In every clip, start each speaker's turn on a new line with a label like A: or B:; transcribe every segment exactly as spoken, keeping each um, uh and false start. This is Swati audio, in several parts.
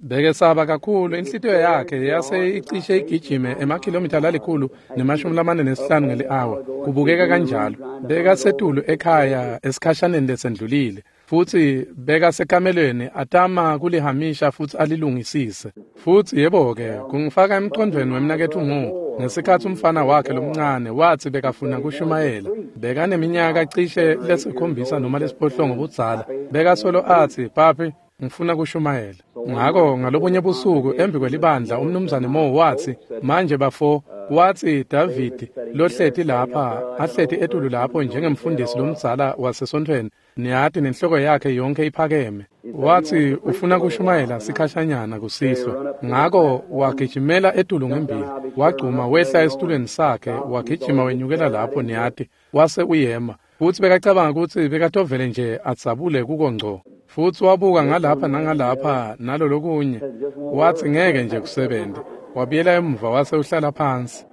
A: Bekesaba kakhulu, inhlitiyo yakhe yase icishe igijime emakhilomitha lalikhulu nemashumi lamane nesihlanu ngeli-awa. Kubukeka kanjalo. Bekasetulu ekhaya esikhashaneni lesendlulile, futsi bekasekamelweni atama kulihamisha futsi alilungisise. Futsi yebo-ke, kungifaka emcondvweni wemnaketfu Mo, ngesikhatsi umfana wakhe lomncane watsi bekafuna kushumayela. Bekaneminyaka cishe lesikhombisa noma lesiphohlongo budzala. Bekasolo atsi, "Papi, ngifuna kushumayela." Ngako ngalobunye busuku embi kwelibandla umnumzane Mo watsi, "Manje bafo," watsi, "David lohleti lapha, ahleti etulu lapho njengemfundisi lomdzala wasesontfweni, niyati, nenhloko yakhe yonkhe iphakeme." Watsi ufuna kushumayela sikhashanyana kusihlwa. Ngako wagijimela etulu ngembili, wagcuma wehla esitulweni sakhe, wagijima wenyukela lapho, niyati, wase uyema. Futsi bekacabanga kutsi bekatovele nje adzabule kuko ngco. Futsi wabuka ngalapha nangalapha nalolokunye, watsi ngeke nje kusebente. Wabuyela emuva wase uhlala phansi.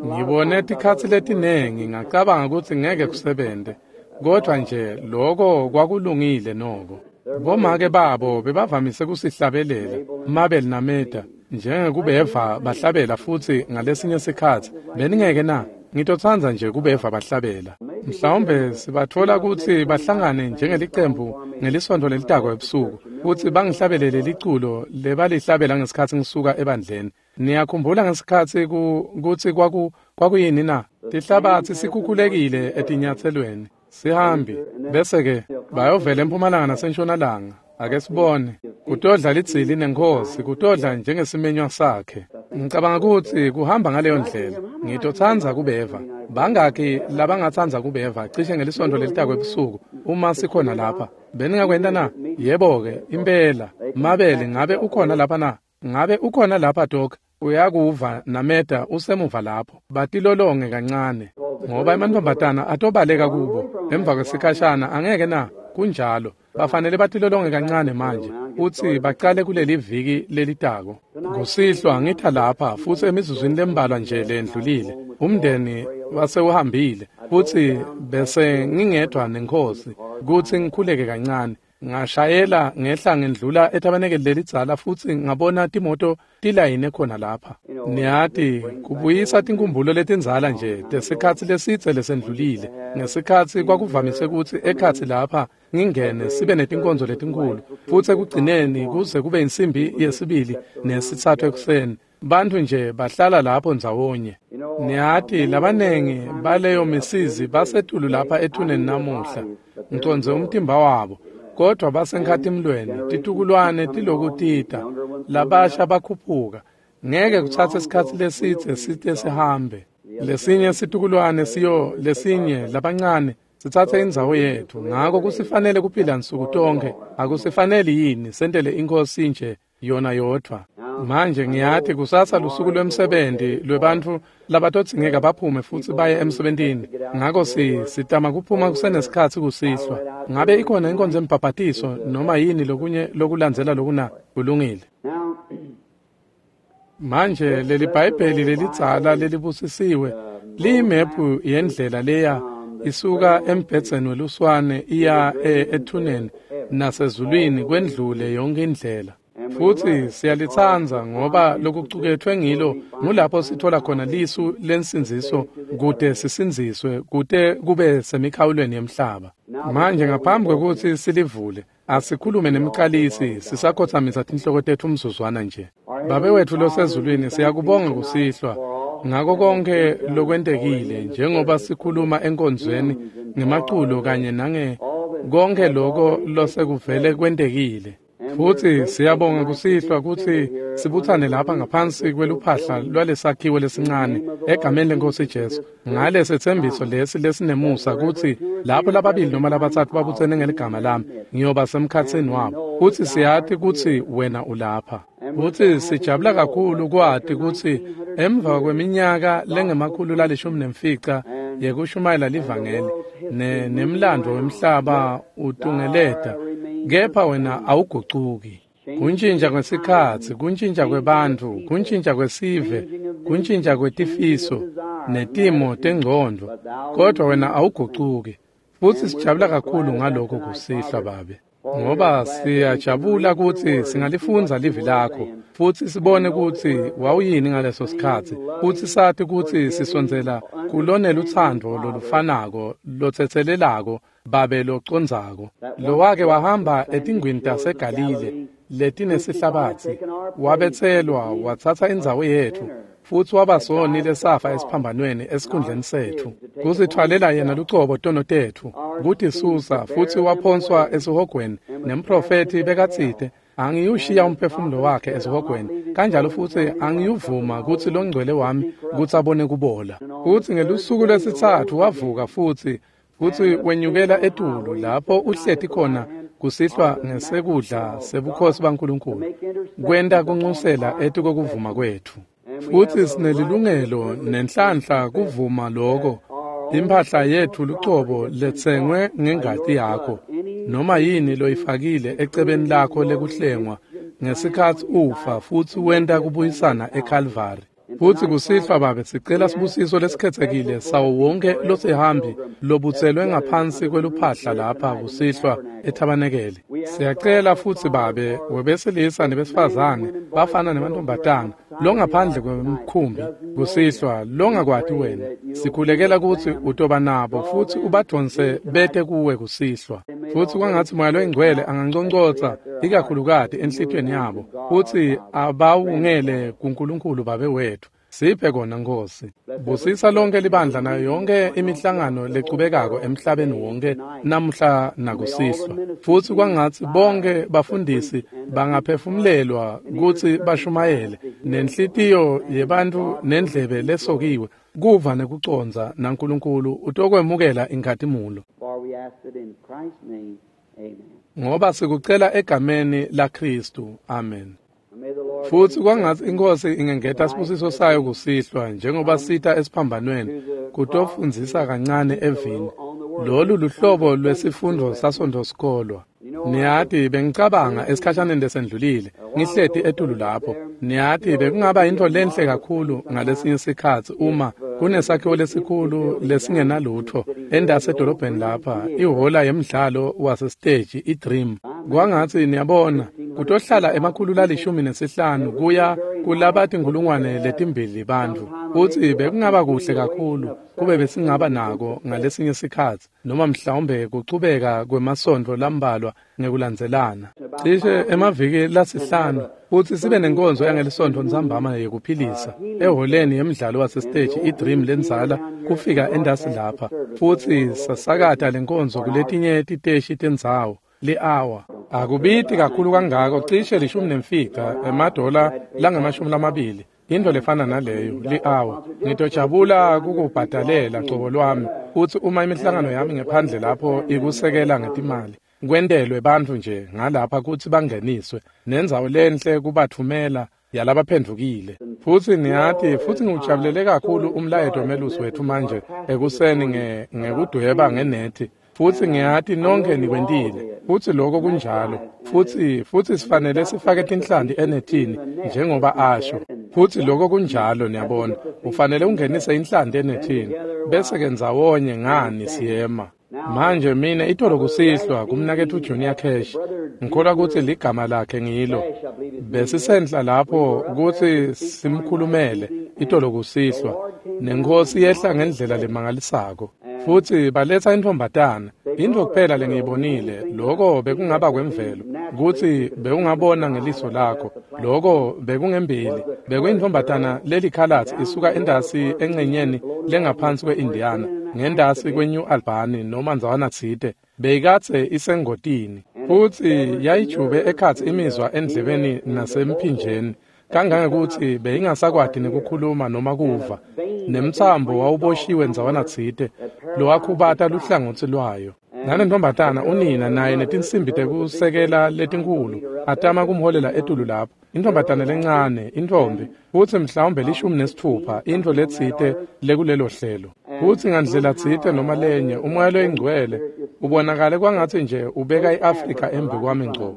A: Ngibone tikhatsi letinengi ngacabanga kutsi ngeke kusebente, kodvwa nje loko kwakulungile noko. Bomake babo bebavamise kusihlabelela, Mabel naMeda, njengekubeva bahlabela futsi ngalesinye sikhatsi beningeke na? Ngitotsandza nje kubeva bahlabela. Mhlawumbe sibatfola kutsi bahlangane njengelicembu ngelisontfo lelitako ebusuku, futsi bangihlabelele liculo lebalihlabela ngesikhatsi ngisuka ebandleni. Niyakhumbula ngesikhatsi kutsi kwaku kwakuyini na? Tihlabatsi sikhukhulekile etinyatselweni. Sihambi, bese-ke bayovela empumalanga nasentshonalanga. Ake sibone. Kutodla lidzili nenkhosi, kutodla njengesimenywa sakhe. Ngicabanga kutsi kuhamba ngaleyo ndlela. Ngitotsandza kubeva. Bangaki labangatsandza kubeva cishe ngelisontfo lelitako ebusuku uma sikhona lapha? Beningakwenta na? Yebo-ke, impela. Mabele, ngabe ukhona lapha na? Ngabe ukhona lapha, Doc? Uyakuva naMeda usemuva lapho. Batilolonge kancane, ngoba emantfombatana atobaleka kubo emva kwesikhashana, angeke na? Kunjalo. Bafanele batilolonge kancane manje, futsi bacale kuleli viki lelitako. Kusihlwa ngitha lapha, futsi emizuzwini lembalwa nje lendlulile, umndeni wasewuhambile, futsi bese ngingedwa nenkhosi kutsi ngikhuleke kancane. Ngashayela ngehla ngendlula etabenekeli lelidzala futsi ngabona timoto tilayine khona lapha. Niyati, kubuyisa tinkumbulo letindzala nje tesikhatsi lesidze lesendlulile, ngesikhatsi kwakuvamise kutsi ekhatsi lapha ngingene sibe netinkonzo letinkhulu, futsi ekugcineni kuze kube insimbi yesibili nesitsatfu ekuseni, bantfu nje bahlala lapho ndzawonye. Niyati, labanengi baleyo misizi basetulu lapha ethuneni namuhla, ngicondze umtimba wabo, kodvwa basenkhatimlweni, titukulwane tilokutita, labasha bakhuphuka. Ngeke kutsatse sikhatsi lesidze site sihambe. Lesinye situkulwane siyo lesinye labancane sitsatse indzawo yetfu. Ngako kusifanele kuphila nsuku tonkhe. Akusifaneli yini sentele iNkhosi nje yona yodvwa? Manje ngiyati kusasa lusuku lwemsebenti lwebantfu labatodzingeka baphume futsi baye emsebentini. Ngako si sitama kuphuma kusenesikhatsi kusihlwa. Ngabe ikhona inkonzo yembhabhatiso noma yini lokunye lokulandzela lokuna? Kulungile. Manje leli Bhayibheli lelidzala lelibusisiwe liyimephu yendlela leya isuka embhedzeni weluswane iya ethuneni nasezulwini kwendlule yonke indlela. Futsi siyalitsandza ngoba lokucuketfwe ngilo ngulapho sithola khona lisu lensindziso kute sisindziswe kute kube semikhawulweni yemhlaba. Manje ngaphambi kwekutsi silivule, asikhulume nemcalisi sisakhotsamisa tinhloko tetfu umzuzwana nje. Babe wetfu losezulwini, siyakubonga kusihlwa ngako konke lokwentekile njengoba sikhuluma enkonzweni ngemaculo kanye nange konke loko losekuvele kwentekile. Futsi siyabonga kusihlwa kutsi sibutsane lapha ngaphansi kweluphahla lwalesakhiwo lesincane egameni leNkhosi Jesu, ngalesethembiso lesi lesinemusa kutsi lapho lababili noma labatsatfu babutsene ngeligama lami, ngiyoba semkhatsini wabo. Futsi siyati kutsi wena ulapha. Futsi sijabula kakhulu kwati kutsi emva kweminyaka lengemakhulu lalishumi nemfica yekushumayela livangeli ne nemlandvo wemhlaba utungeleta, kepha wena awugucuki. Kuntjintja kwesikhatsi, kuntjintja kwebantfu, kuntjintja kwesive, kuntjintja kwetifiso netimo tengcondvo, kodvwa wena awugucuki. Futsi sijabula kakhulu ngaloko kusihlwa, Babe. Ngoba siyajabula kutsi singalifundza livi lakho futsi sibone kutsi wawuyini ngaleso sikhatsi, futsi sati kutsi sisondzela kulonelutsandvo lolufanako lotsetselelako Babe locondzako, lowake wahamba etingwini taseGalile letinesihlabatsi, wabetselwa watsatsa indzawo yetfu, futsi waba soni lesafa esiphambanweni esikhundleni setfu, kusithwalela yena lucobo tono tetfu, kutisusa, futsi waphonswa esihogweni. Nemprofethi bekatsite, angiyushiya umphefumulo wakhe esihogweni, kanjalo futsi angiyuvuma kutsi longcwele wami kutsi abone kubola. Futsi ngelusuku lwesitsatfu wavuka futsi, futsi wenyukela etulu lapho uhleti khona kusihlwa ngesekudla sebukhosi baNkulunkulu, kwenta kunxusela etikokuvuma kwetfu. Futsi sinelilungelo nenhlanhla kuvuma loko, imphahla yetfu lucobo letsengwe ngengati yakho, noma yini loyifakile ecebeni lakho lekuhlengwa ngesikhatsi ufa futsi wenta kubuyisana eKalvari. Futsi kusihlwa Babe sicela sibusiso lesikhethekile sawo wonke losihambi lobutselwe ngaphansi kweluphahla lapha kusihlwa ethabanekele. Siyacela futsi Babe webesilisa nebesifazane, bafana nemantombazana, longaphandle kwemkhumbi kusihlwa longakwati wena, sikhulekela kutsi utoba nabo futsi ubadvonse bete kuwe kusihlwa. Futsi kwangatsi Moya loyiNgcwele anganconcotsa ikakhulukati enhlitiyweni yabo futsi abawungele kuNkulunkulu Babe wethu. Siphe kona Nkosi. Busisa lonke libandla nayo yonke imihlangano lechubekako emhlabeni wonke namuhla nakusihlwa. Futsi kwangatsi bonke bafundisi bangaphefumulelwa kutsi bashumayele nenhlitiyo yebantfu nendlebe lesokiwe kuva nekucondza, naNkulunkulu utokwemukela inkhatimulo. Ngoba sikucela egameni laKhristu. Amen. Futsi kwangatsi iNkhosi ingengeta sibusiso sayo kusihlwa njengoba sita esiphambanweni kutofundzisa kancane evini. Lolu luhlobo lwesifundvo saSontfosikolwa. Niyati bengicabanga esikhashaneni lesendlulile ngihleti etulu lapho. Niyati bekungaba intfo lenhle kakhulu ngalesinye sikhatsi uma kunesakhiwo lesikhulu lesingenalutfo endase edolobheni lapha, ihhola yemdlalo wasesiteji iDream. Kwangatsi niyabona kutohlala emakhulu lalishumi nesihlanu kuya kulabatinkhulungwane letimbili bantfu, futsi bekungaba kuhle kakhulu kube besingaba nako ngalesinye sikhatsi, noma mhlawumbe kuchubeka kwemasontfo lambalwa ngekulandzelana, cishe emaviki lasihlanu, futsi sibe nenkonzo yangelisontfo ntsambama yekuphilisa ehholeni yemdlalo wasesiteji iDream lendzala kufika endasi lapha, futsi sasakata lenkonzo kuletinye titeshi tendzawo. Li-hour akubiti kakhulu kangako, cishe lishumi nemfica emadola langamashumi lamabili, into lefana naleyo li-hour. Ngitojabula kukubhadalela cobo lwami, futsi uma imihlangano yami ngephandle lapho ikusekela ngetimali, kwentelwe bantfu nje ngalapha kutsi bangeniswe nendzawo lenhle kubatfumela yalabaphendvukile. Futsi niyati, futsi ngiwujabulele kakhulu umlayeto wemelusi wetfu manje ekuseni ngekudweba ngenethi. Futsi ngiyati nonke nikwentile, futsi lokho kunjalo. Futsi futsi sifanele sifake tinhlanti enethini njengoba asho. Futsi lokho kunjalo, niyabona. Ufanele ungenise inhlanti enethini bese ke ndzawonye ngani siyema. Manje mine itolo kusihlwa kumnaketfu Junior Cash, ngikholwa kutsi ligama lakhe ngilo, besisenhla lapho kutsi simkhulumele itolo kusihlwa, neNkhosi yehla ngendlela lemangalisako. Futsi baletsa intfombatana, intfo kuphela lengiyibonile, loko bekungaba kwemvelo, kutsi bewungabona ngeliso lakho, loko bekungembili, bekuyintfombatana lelikhalatsi isuka endasi encenyeni lengaphansi kwe-Indiana, ngendasi kwe-New Albany noma ndzawana tsite, beyikadze isengotini. Futsi yayijube ekhatsi imizwa endlebeni nasemphinjeni, kangangekutsi beyingasakwati nekukhuluma noma kuva, nemtsambo wawuboshiwe ndzawana tsite lowakhubata luhlangotsi lwayo. Nalentombazana unina naye netinsimbi tekusekela letinkhulu atama kumholela etulu lapho. Intombazana lencane, intfombi, futsi mhlawumbe lishumi nesitfupha, intfo letsite lekulelo hlelo. Futsi ngandlela tsite noma lenye umoya loyingcwele ubonakale kwangatsi nje ubeka i-Afrika embi kwami ngco.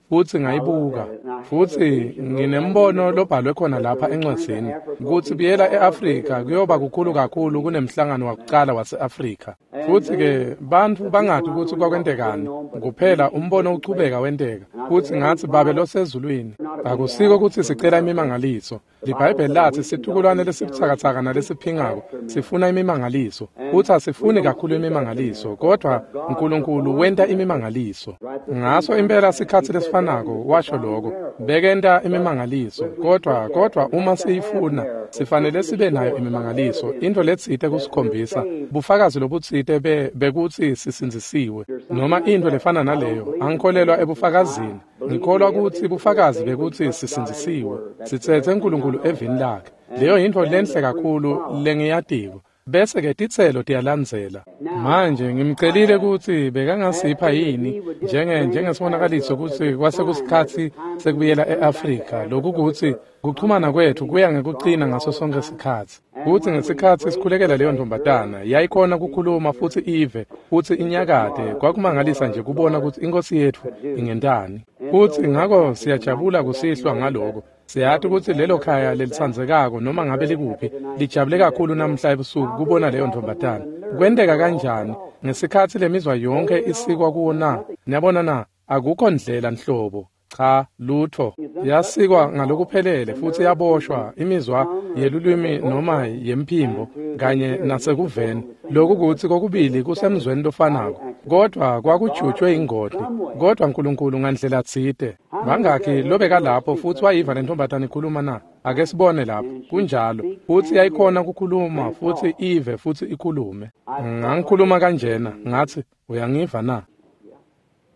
A: Futsi ngayibuka. Futsi nginembono lobhalwe khona lapha encwadzini kutsi buyela e-Afrika kuyoba kukhulu kakhulu kunemhlangano wakucala wase-Afrika. Futsi-ke bantfu bangati kutsi kwakwentekani, kuphela umbono uchubeka wenteka. Futsi ngatsi, Babe losezulwini, akusiko kutsi sicela imimangaliso. LiBhayibheli latsi situkulwane lesibutsakatsaka nalesiphingako sifuna imimangaliso. Futsi asifuni kakhulu imimangaliso, kodvwa Nkulunkulu wenta imimangaliso. Ngaso impela sikhatsi lesifanako washo loko, bekenta imimangaliso, kodvwa kodvwa uma siyifuna sifanele sibe nayo imimangaliso, intfo letsite kusikhombisa, bufakazi lobutsite be bekutsi sisindzisiwe, noma intfo lefana naleyo. Angikholelwa ebufakazini, ngikholwa kutsi bufakazi bekutsi sisindzisiwe, sitsetse Nkulunkulu evini lakhe. Leyo yintfo lenhle kakhulu lengiyatiko. Bese-ke titselo tiyalandzela. Manje ngimcelile kutsi bekangasipha yini njenge njengesibonakaliso kutsi kwase kusikhatsi sekubuyela e-Afrika, lokhu kutsi kuchumana kwetfu kuya ngekucina ngaso sonke sikhatsi. Kutsi ngesikhatsi sikhulekela leyo ntombazana yayikhona kukhuluma futsi ive futsi inyakate, kwakumangalisa nje kubona kutsi iNkhosi yetfu ingentani. Futsi ngako siyajabula kusihlwa ngaloko. Siyati kutsi lelo khaya lelitsandzekako noma ngabe likuphi lijabule kakhulu namhla ebusuku kubona leyo ntombazana. Kwenteka kanjani ngesikhatsi lemizwa yonke isikwa kuwo na? Niyabona na? Akukho ndlela nhlobo. Cha, lutho. Yasikwa ngalokuphelele futsi yaboshwa imizwa yelulwimi noma yemphimbo kanye nasekuveni. Lokhu kutsi kokubili kusemzweni lofanako, kodvwa kwakujutshwe ingoti. Kodvwa Nkulunkulu ngandlela tsite. Bangakhi lobeka lapho futsi wayiva lentombazana ikhuluma na? Ake sibone lapho. Kunjalo. Futsi yayikhona kukhuluma futsi ive futsi ikhulume. Ngangikhuluma kanjena, ngatsi, uyangiva na?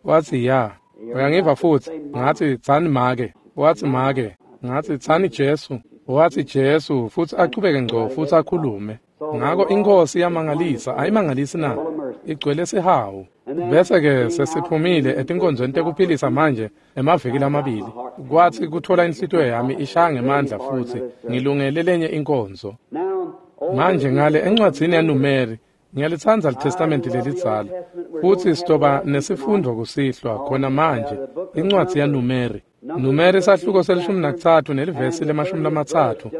A: Watsi ya. Uyangiva futsi? Ngatsi, tsani make. Watsi make. Ngatsi, tsani Jesu. Watsi Jesu, futsi achubeke ngco futsi akhulume. Ngako iNkhosi iyamangalisa, ayimangalisi na? Igcwele sihawu. Bese-ke sesiphumile etinkonzweni tekuphilisa manje emaviki lamabili. Kwatsi kutfola inhlitiyo yami ishaya ngemandla futsi ngilungele lenye inkonzo. Manje ngale encwadzini yaNumeri, ngiyalitsandza liTestamenti lelidzala. Futsi sitoba nesifundvo kusihlwa khona manje, incwadzi yaNumeri. Numeri sahluko selishumi nakutsatfu nelivesi lemashumi lamatsatfu.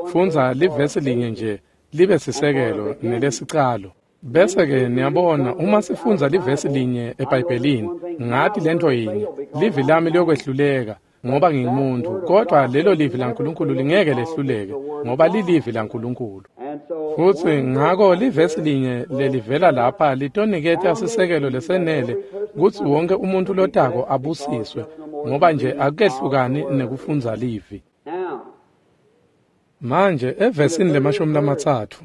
A: Fundza livesi linye nje libe sisekelo nelesicalo. Bese-ke niyabona uma sifundza livesi linye eBhayibhelini, ngati lento yinye, livi lami liyokwehluleka ngoba ngingumuntu, kodvwa lelo livi laNkulunkulu lingeke lehluleke ngoba lilivi laNkulunkulu. Futsi ngako livesi linye lelivela lapha litoniketa sisekelo lesenele kutsi wonke umuntu lotako abusiswe, ngoba nje akukehlukani nekufundza livi. Manje evesini lemashumi lamatsatfu,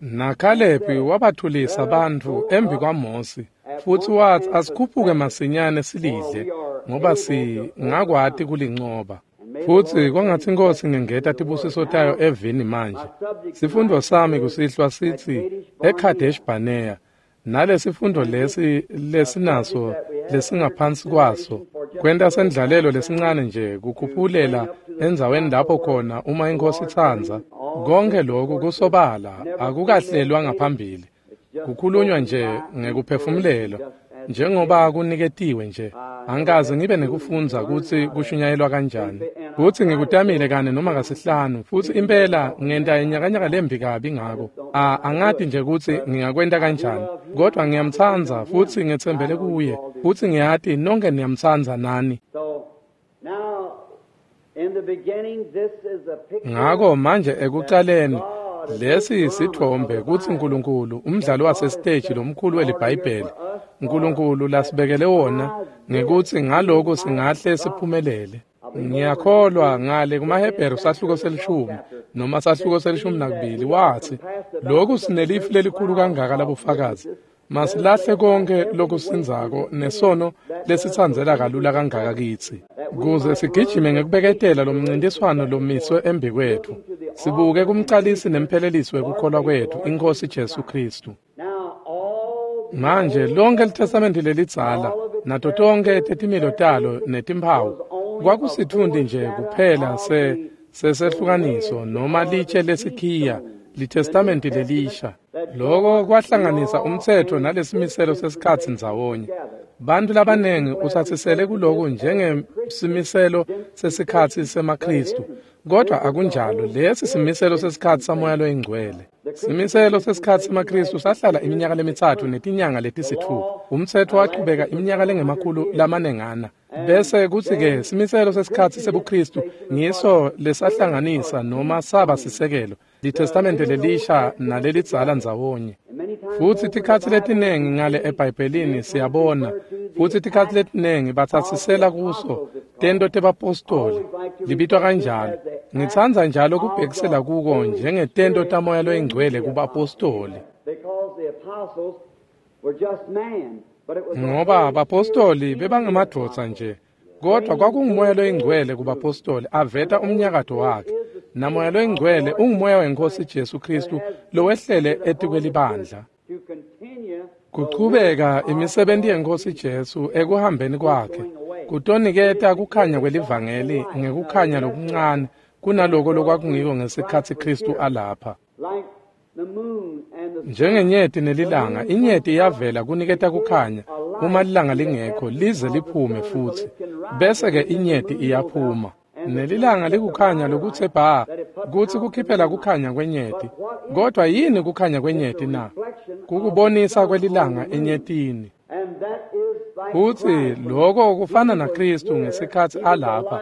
A: naKhalebi wabathulisa bantfu embi kwaMosi, futsi watsi, asikhuphuke masinyane silidle, ngoba singakwati kulincoba. Futsi kwangatsi iNkhosi ingengeta tibusiso tayo evini manje. Sifundo sami kusihlwa sitsi eKadesh Barnea, nalesifundo lesi lesinaso lesingaphansi kwaso kwenta sendlalelo lesincane nje kukhuphulela endzaweni lapho khona uma iNkhosi itsandza. Konke lokhu kusobala akukahlelwa ngaphambili, kukhulunywa nje ngekuphefumulelwa njengoba kuniketiwe nje. Angikaze ngibe nekufundza kutsi kushunyayelwa kanjani. Futsi ngikutamile kane noma kasihlanu, futsi impela ngenta inyakanyaka lembi kabi ngako. A angati nje kutsi ngingakwenta kanjani, kodvwa ngiyamtsandza futsi ngetsembele kuye, futsi ngiyati nonke niyamtsandza nani. Ngako manje ekucaleni lesi sithombe kutsi Nkulunkulu, umdlalo wasesiteji lomkhulu weliBhayibheli, Nkulunkulu lasibekele wona ngekutsi ngaloko singahle siphumelele. Ngiyakholwa ngale kumaHebheru sahluko selishumi noma sahluko selishumi nakubili watsi, lokhu sinelifu lelikhulu kangaka labofakazi, masilahle konke lokusindzako nesono lesitsandzela kalula kangaka kitsi, kuze sigijime ngekubeketela lomncintiswano lomiswe embi kwetfu, sibuke kumcalisi nemphelelisi wekukholwa kwetfu, iNkhosi Jesu Khristu. Manje lonke liTestamenti lelidzala nato tonke tetimilo talo netimphawu kwakusitfundi nje kuphela se sesehlukaniso noma litshe lesikhiya liTestamenti lelisha. Loko kwahlanganisa umtsetfo nalesimiselo sesikhatsi ndzawonye. Bantu labanengi utsatsisele kuloku njengesimiselo sesikhatsi semaKhristu, kodwa akunjalo. Lesi simiselo sesikhatsi saMoya loyiNgcwele. Simiselo sesikhatsi semaKhristu sahlala iminyaka lemitsatfu netinyanga letisitfupha. Umtsetfo wachubeka iminyaka lengemakhulu lamanengana. Bese kutsi-ke simiselo sesikhatsi sebuKhristu ngiso lesahlanganisa noma saba sisekelo liTestamente lelisha nalelidzala ndzawonye. Futsi tikhatsi letinengi ngale eBhayibhelini siyabona, futsi tikhatsi letinengi batsatsisela kuso tento tebapostoli, libitwa kanjalo. Ngitsandza njalo kubhekisela kuko njengetento taMoya loyiNgcwele kubapostoli, ngoba bapostoli bebangemadvodza nje, kodwa kwakunguMoya loyiNgcwele kubapostoli aveta umnyakato wakhe. NaMoya loyiNgcwele unguMoya weNkhosi Jesu Khristu lowehlele etikwelibandla kuchubeka imisebenti yeNkhosi Jesu ekuhambeni kwakhe, kutoniketa kukhanya kwelivangeli ngekukhanya lokuncane kunaloko lokwakungiko ngesikhatsi Khristu alapha. Njengenyeti nelilanga, inyeti iyavela kuniketa kukhanya uma lilanga lingekho lize liphume futsi, bese-ke inyeti iyaphuma. Nelilanga likukhanya lokutse bha, kutsi kukhiphela kukhanya kwenyeti. Kodwa yini kukhanya kwenyeti na? Kukubonisa kwelilanga enyetini. Futsi loko kufana naKhristu ngesikhatsi alapha,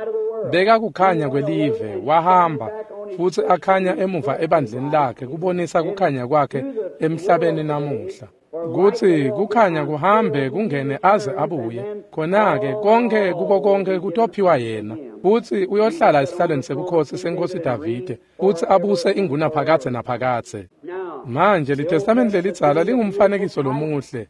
A: beka kukhanya kwelive, wahamba futsi akhanya emuva ebandleni lakhe kubonisa kukhanya kwakhe emhlabeni namuhla. Kutsi kukhanya kuhambe kungene aze abuye, khona-ke konke kuko konke kutophiwa yena, futsi uyohlala esihlalweni sebukhosi seNkhosi Davide, futsi abuse ingunaphakadze naphakadze. Manje liTestamente lelidzala lingumfanekiso lomuhle.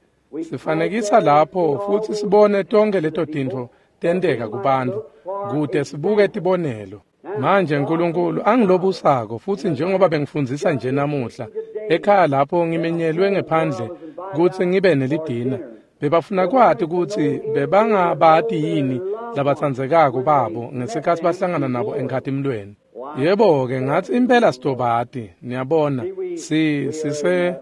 A: Sifanekisa lapho futsi sibone tonke leto tintfo tenteka kubantfu, kute sibuke tibonelo. Manje Nkulunkulu angilobusako, futsi njengoba bengifundzisa nje namuhla ekhaya lapho ngimenyelwe ngephandle kutsi ngibe nelidina, bebafuna kwati kutsi bebangabati yini labatsandzekako babo ngesikhatsi bahlangana nabo enkhatimlweni. Yebo-ke, ngatsi impela sitobati, niyabona, si sise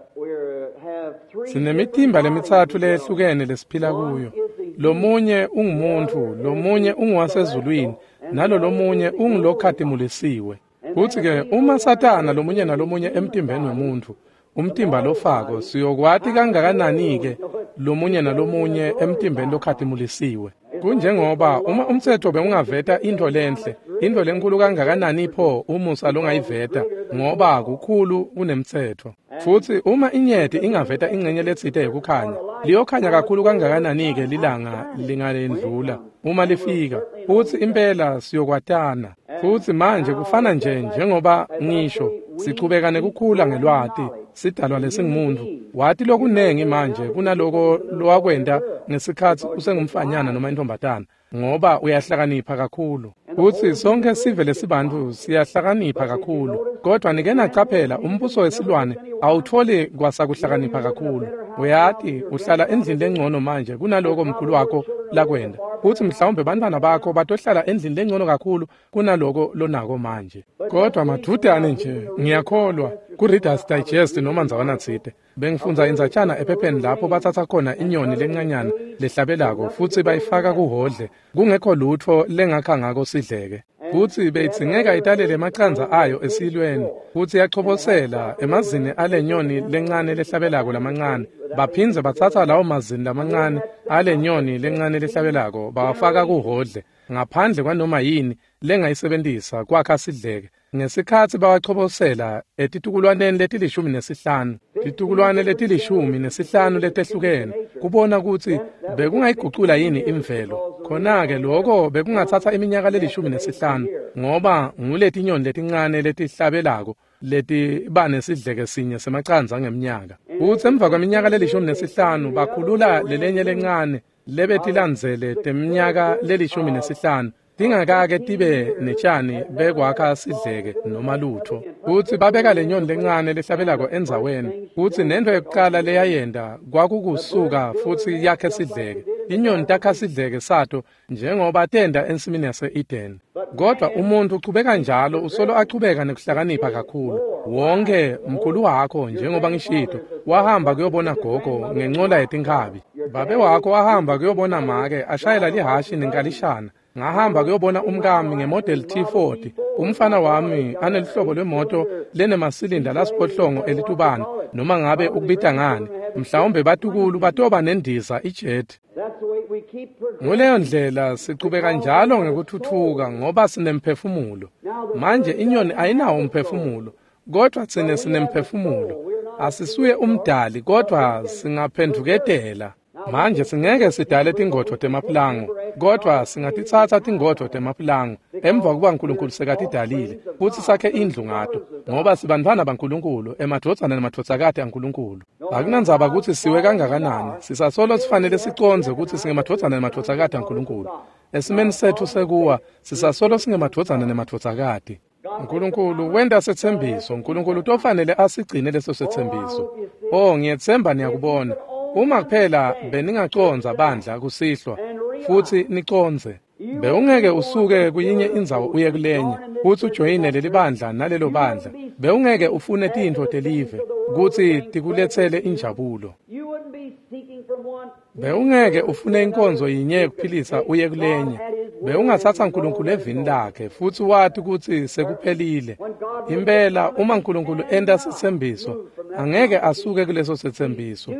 A: sinemitimba lemitsatfu leyehlukene lesiphila kuyo. Lomunye ungumuntfu, lomunye unguwasezulwini, nalo lomunye ungulokhatimulisiwe. Futsi-ke uma Satana lomunye nalomunye emtimbeni wemuntfu, umtimba lofako, siyokwati kangakanani-ke lomunye nalomunye emtimbeni lokhatimulisiwe. Kunjengoba uma umtsetfo bewungaveta intfo lenhle, intfo lenkulu kangakanani pho umusa longayiveta, ngoba kukhulu kunemtsetfo. Futsi uma inyeti ingaveta ingcenye letsite yekukhanya, liyokhanya kakhulu kangakanani-ke lilanga lingalendlula uma lifika, futsi impela siyokwatana. Futsi manje kufana nje njengoba ngisho, sichubeka nekukhula ngelwati, sidalwa lesingumuntu. Wati lokunengi manje kunaloko lowakwenta ngesikhatsi usengumfanyana noma intombatana, ngoba uyahlakanipha kakhulu. Futsi sonke sive lesibantfu siyahlakanipha kakhulu, kodwa nike nacaphela umbuso wesilwane awutfoli kwasakuhlakanipha kakhulu. Uyati uhlala endlini lengcono manje kunaloko mkhulu wakho lakwenta, futsi mhlawumbe bantfwana bakho batohlala endlini lengcono kakhulu kunaloko lonako manje. Kodwa madvudane nje, ngiyakholwa ku-Reader's Digest noma ndzawana tsite bengifundza indzatshana ephepheni lapho batsatsa khona inyoni lencanyana lehlabelako futsi bayifaka kuhhodle, kungekho lutfo lengakha ngako sidleke. Futsi beyidzingeka italele emacandza ayo esilweni, futsi yachobosela emazini ale nyoni lencane lehlabelako lamancane. Baphindze batsatsa lawo mazini lamancane ale nyoni lencane lehlabelako bawafaka kuhhodle, ngaphandle kwanoma yini lengayisebentisa kwakha sidleke. Ngesikhatsi bawachobosela etitukulwaneni letilishumi nesihlanu, titukulwane letilishumi nesihlanu letehlukene, kubona kutsi bekungayigucula yini imvelo. Khona-ke loko bekungatsatsa iminyaka lelishumi nesihlanu, ngoba nguletinyoni letincane letihlabelako letiba nesidleke sinye semacandza ngemnyaka. Futsi emva kweminyaka lelishumi nesihlanu bakhulula lelenye lencane lebetilandzele teminyaka lelishumi nesihlanu, tingakake tibe netshani bekwakha sidleke noma lutfo. Futsi babeka lenyoni lencane lehlabelako endzaweni, futsi nentfo yekucala leyayenta kwakukusuka futsi yakhe sidleke. Inyoni takha sidleke sato njengoba tenta ensimini yase-Eden. Kodwa umuntfu uchubeka njalo, usolo achubeka nekuhlakanipha kakhulu. Wonke mkhulu wakho, njengoba ngishito, wahamba kuyobona gogo ngencola yetinkhabi. Babe wakho wahamba kuyobona make ashayela lihashi nenkalishana. Ngahamba kuyobona umkami ngemodel T forty. Umfana wami anelihlobo lwemoto lenemasilinda lasiphohlongo elitubane noma ngabe ukubita ngani. Mhlawumbe batukulu batoba nendiza ijet. Nguleyo ndlela sichubeka njalo ngekuthuthuka ngoba sinemphefumulo. Manje inyoni ayinawo umphefumulo, kodwa tsine sinemphefumulo. Asisuye umdali kodwa singaphenduketela. Manje singeke sidale tingodvo temaplango, kodwa singatitsatsa tingodvo temaplango emva kuba uNkulunkulu sekatidalile futsi sakhe indlu ngato, ngoba sibantfwana baNkulunkulu, emadvodzana nemadvodzakati aNkulunkulu. Akunandzaba kutsi siwe kangakanani, sisasolo sifanele sicondze kutsi singemadvodzana nemadvodzakati aNkulunkulu. Esimeni setfu sekuwa sisasolo singemadvodzana nemadvodzakati. uNkulunkulu wenta setsembiso, uNkulunkulu utofanele asigcine leso setsembiso. Oh, ngiyetsemba niyakubona. Uma kuphela beningacondza bandla kusihlwa futsi nicondze, bewungeke usuke kuyinye indzawo uye kulenye futsi ujoyine leli bandla nalelo bandla. Bewungeke ufune tintfo telive kutsi tikuletsele injabulo. Bewungeke ufune inkonzo yinye yekuphilisa uye kulenye. Bewungatsatsa uNkulunkulu evini lakhe futsi wati kutsi sekuphelile. Impela uma uNkulunkulu enta setsembiso, angeke asuke kuleso setsembiso.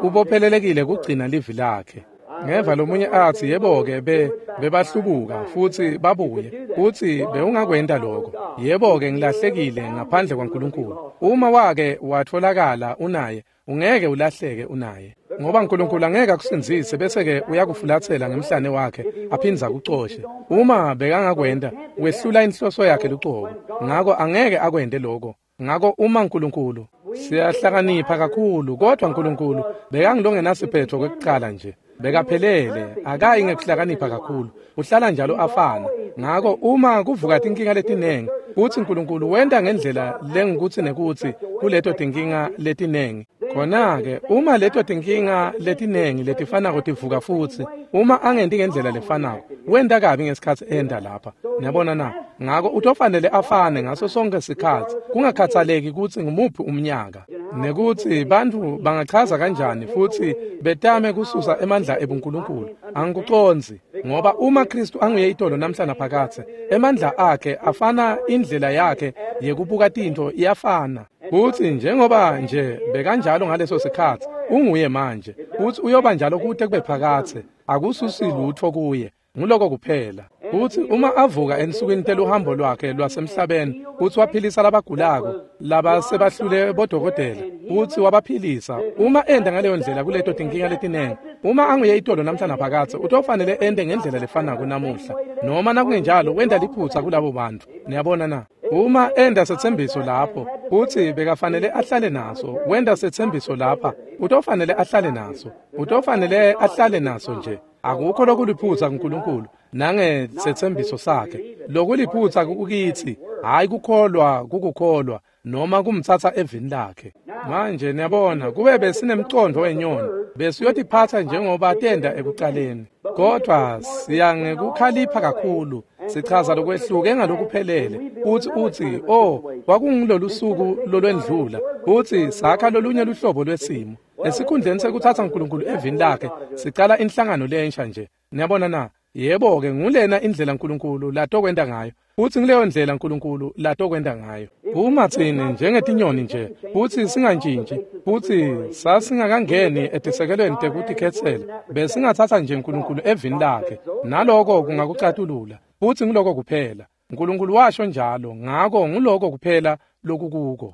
A: Ubophelelekile kugcina livi lakhe. Ngeva lomunye atsi yebo-ke be bebahlubuka futsi babuye futsi bewungakwenta lokho. Yebo-ke ngilahlekile ngaphandle kwaNkulunkulu. Uma wake watholakala unaye, ungeke ulahleke unaye, ngoba uNkulunkulu angeke akusindzise bese-ke uyakufulatsela ngemhlane wakhe aphindze akucoshe. Uma bekangakwenta, wehlula inhloso yakhe lucobo. Ngako angeke akwente lokho. Ngako uma uNkulunkulu, siyahlakanipha kakhulu, kodwa uNkulunkulu bekangilongenasiphetho kwekucala nje. Bekaphelele, akayi ngekuhlakanipha kakhulu, uhlala njalo afana. Ngako uma kuvuka tinkinga letinengi, futsi uNkulunkulu wenta ngendlela lengukutsi nekutsi kuleto tinkinga letinengi. Khona-ke uma leto tinkinga letinengi letifanako tivuka futsi, uma angenti ngendlela lefanako, wenta kabi ngesikhatsi enda lapha. Niyabona na? Ngako utofanele afane ngaso sonke sikhatsi, kungakhathaleki kutsi ngumuphi umnyaka, nekutsi bantfu bangachaza kanjani futsi betame kususa emandla ebuNkulunkulu. Angikucondzi, ngoba uma Kristu anguye itolo namhla naphakadze, emandla akhe afana, indlela yakhe yekubuka tintfo iyafana. Futsi njengoba nje bekanjalo ngaleso sikhatsi, unguye manje, futsi uyoba njalo kute kube phakadze. Akususi lutfo kuye. Nguloko kuphela. Futsi uma avuka ensukwini teluhambo lwakhe lwasemhlabeni, futsi waphilisa labagulako labasebahlule bodokotela, futsi wabaphilisa. Uma enda ngaleyo ndlela kuleto tinkinga letinengi, uma anguye itolo namhla naphakadze, utofanele ende ngendlela lefanako namuhla. Noma nakungenjalo wenta liphutsa kulabo bantfu. Niyabona na? Uma enda setsembiso lapho, futsi bekafanele ahlale naso, wenta setsembiso lapha, utofanele ahlale naso. Utofanele ahlale naso nje. Akukho lokuliphutsa kuNkulunkulu nangesetsembiso sakhe. Lokuliphutsa kukitsi, hayi kukholwa kukukholwa noma kumtsatsa evini lakhe. Manje niyabona, kube besinemcondvo wenyoni, besiyotiphatsa njengoba tenda ekucaleni. Kodwa siya ngekukhalipha kakhulu, sichaza lokwehluke ngalokuphelele. Futsi utsi, oh, kwakungilolu suku lolwendlula, futsi sakha lolunye luhlobo lwesimo. Esikhundleni sekutsatsa uNkulunkulu evini lakhe, sicala inhlangano lensha nje. Niyabona na? Yebo-ke, ngulena indlela uNkulunkulu latokwenta ngayo, futsi ngileyo ndlela uNkulunkulu latokwenta ngayo. Uma tsine njengetinyoni nje, futsi singantshintshi, futsi sasingakangeni etisekelweni tekutikhetsela, besingatsatsa nje uNkulunkulu evini lakhe, naloko kungakucatulula, futsi nguloko kuphela. uNkulunkulu washo njalo, ngako nguloko kuphela lokukuko.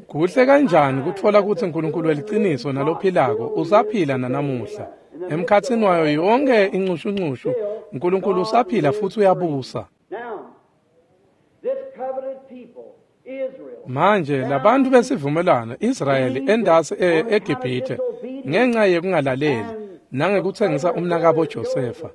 A: Kuhle kanjani kutfola kutsi uNkulunkulu weliciniso nalophilako usaphila nanamuhla. Emkhatsini wayo yonke incushuncushu, uNkulunkulu usaphila futsi uyabusa. Manje labantu besivumelwano Israyeli endasi eGibhithe ngenxa yekungalaleli nangekutsengisa umnakabo Josefa,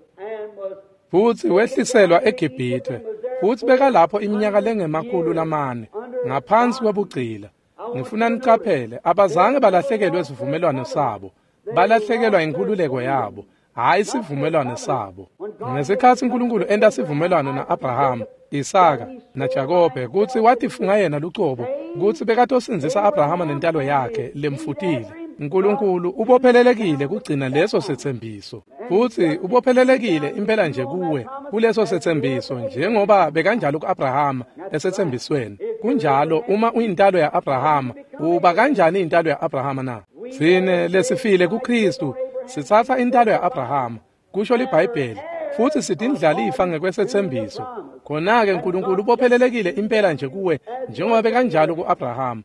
A: futsi wehliselwa eGibhithe, futsi bekalapho iminyaka lengemakhulu lamane ngaphansi kwebugcila. Ngifuna nicaphele, abazange balahlekelwe sivumelwano sabo, balahlekelwa inkhululeko yabo, hhayi sivumelwano sabo. Ngesikhatsi uNkulunkulu enta sivumelwano na-Abrahama, Isaka naJakobe kutsi watifunga yena lucobo kutsi bekatosindzisa Abrahama nentalo yakhe lemfutile, Nkulunkulu ubophelelekile kugcina leso setsembiso, futsi ubophelelekile impela nje kuwe kuleso setsembiso, njengoba bekanjalo ku-Abrahama esetsembisweni. Kunjalo, uma uyintalo ya-Abrahama, uba kanjani intalo ya-Abrahama na? Tsine lesifile kuKristu sitsatsa intalo ya-Abrahama, kusho liBhayibheli, futsi sitindlalifa ngekwesetsembiso. Khona-ke Nkulunkulu ubophelelekile impela nje kuwe njengoba bekanjalo ku-Abrahama.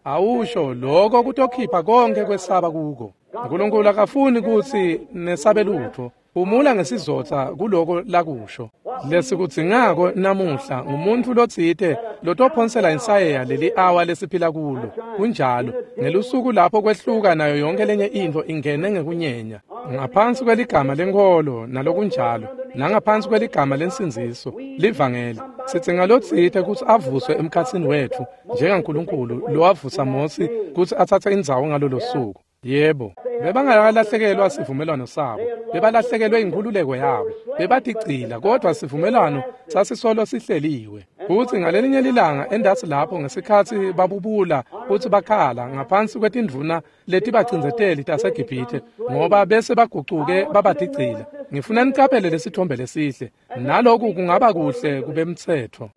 A: Awusho lokho kutokhipha konke kwesaba kuko. Nkulunkulu akafuni kutsi nesabe lutho. Phumula ngesizotha kuloko lakusho. Lesikudzingako namuhla ngumuntu lotsite lotophonsela insayeya leli awa lesiphila kulo. Kunjalo, ngelusuku lapho kwehluka nayo yonke lenye intfo ingene ngekunyenya. Ngaphansi kweligama lenkholo nalokunjalo, nangaphansi kweligama lensindziso, livangeli. Sidzinga lotsite kutsi avuswe emkhatsini wetfu njengaNkulunkulu lowavusa Mosi kutsi atsatse indzawo ngalolo suku. Yebo, bebangakalahlekelwa sivumelwano sabo, bebalahlekelwe inkhululeko yabo, bebatigcila, kodwa sivumelwano sasisolo sihleliwe. Futsi ngalelinye lilanga endasi lapho ngesikhatsi babubula futsi bakhala ngaphansi kwetindvuna letibacindzeteli taseGibhithe, ngoba bese bagucuke babatigcila. Ngifuna nicaphele lesithombe lesihle, naloku kungaba kuhle kubemtsetfo.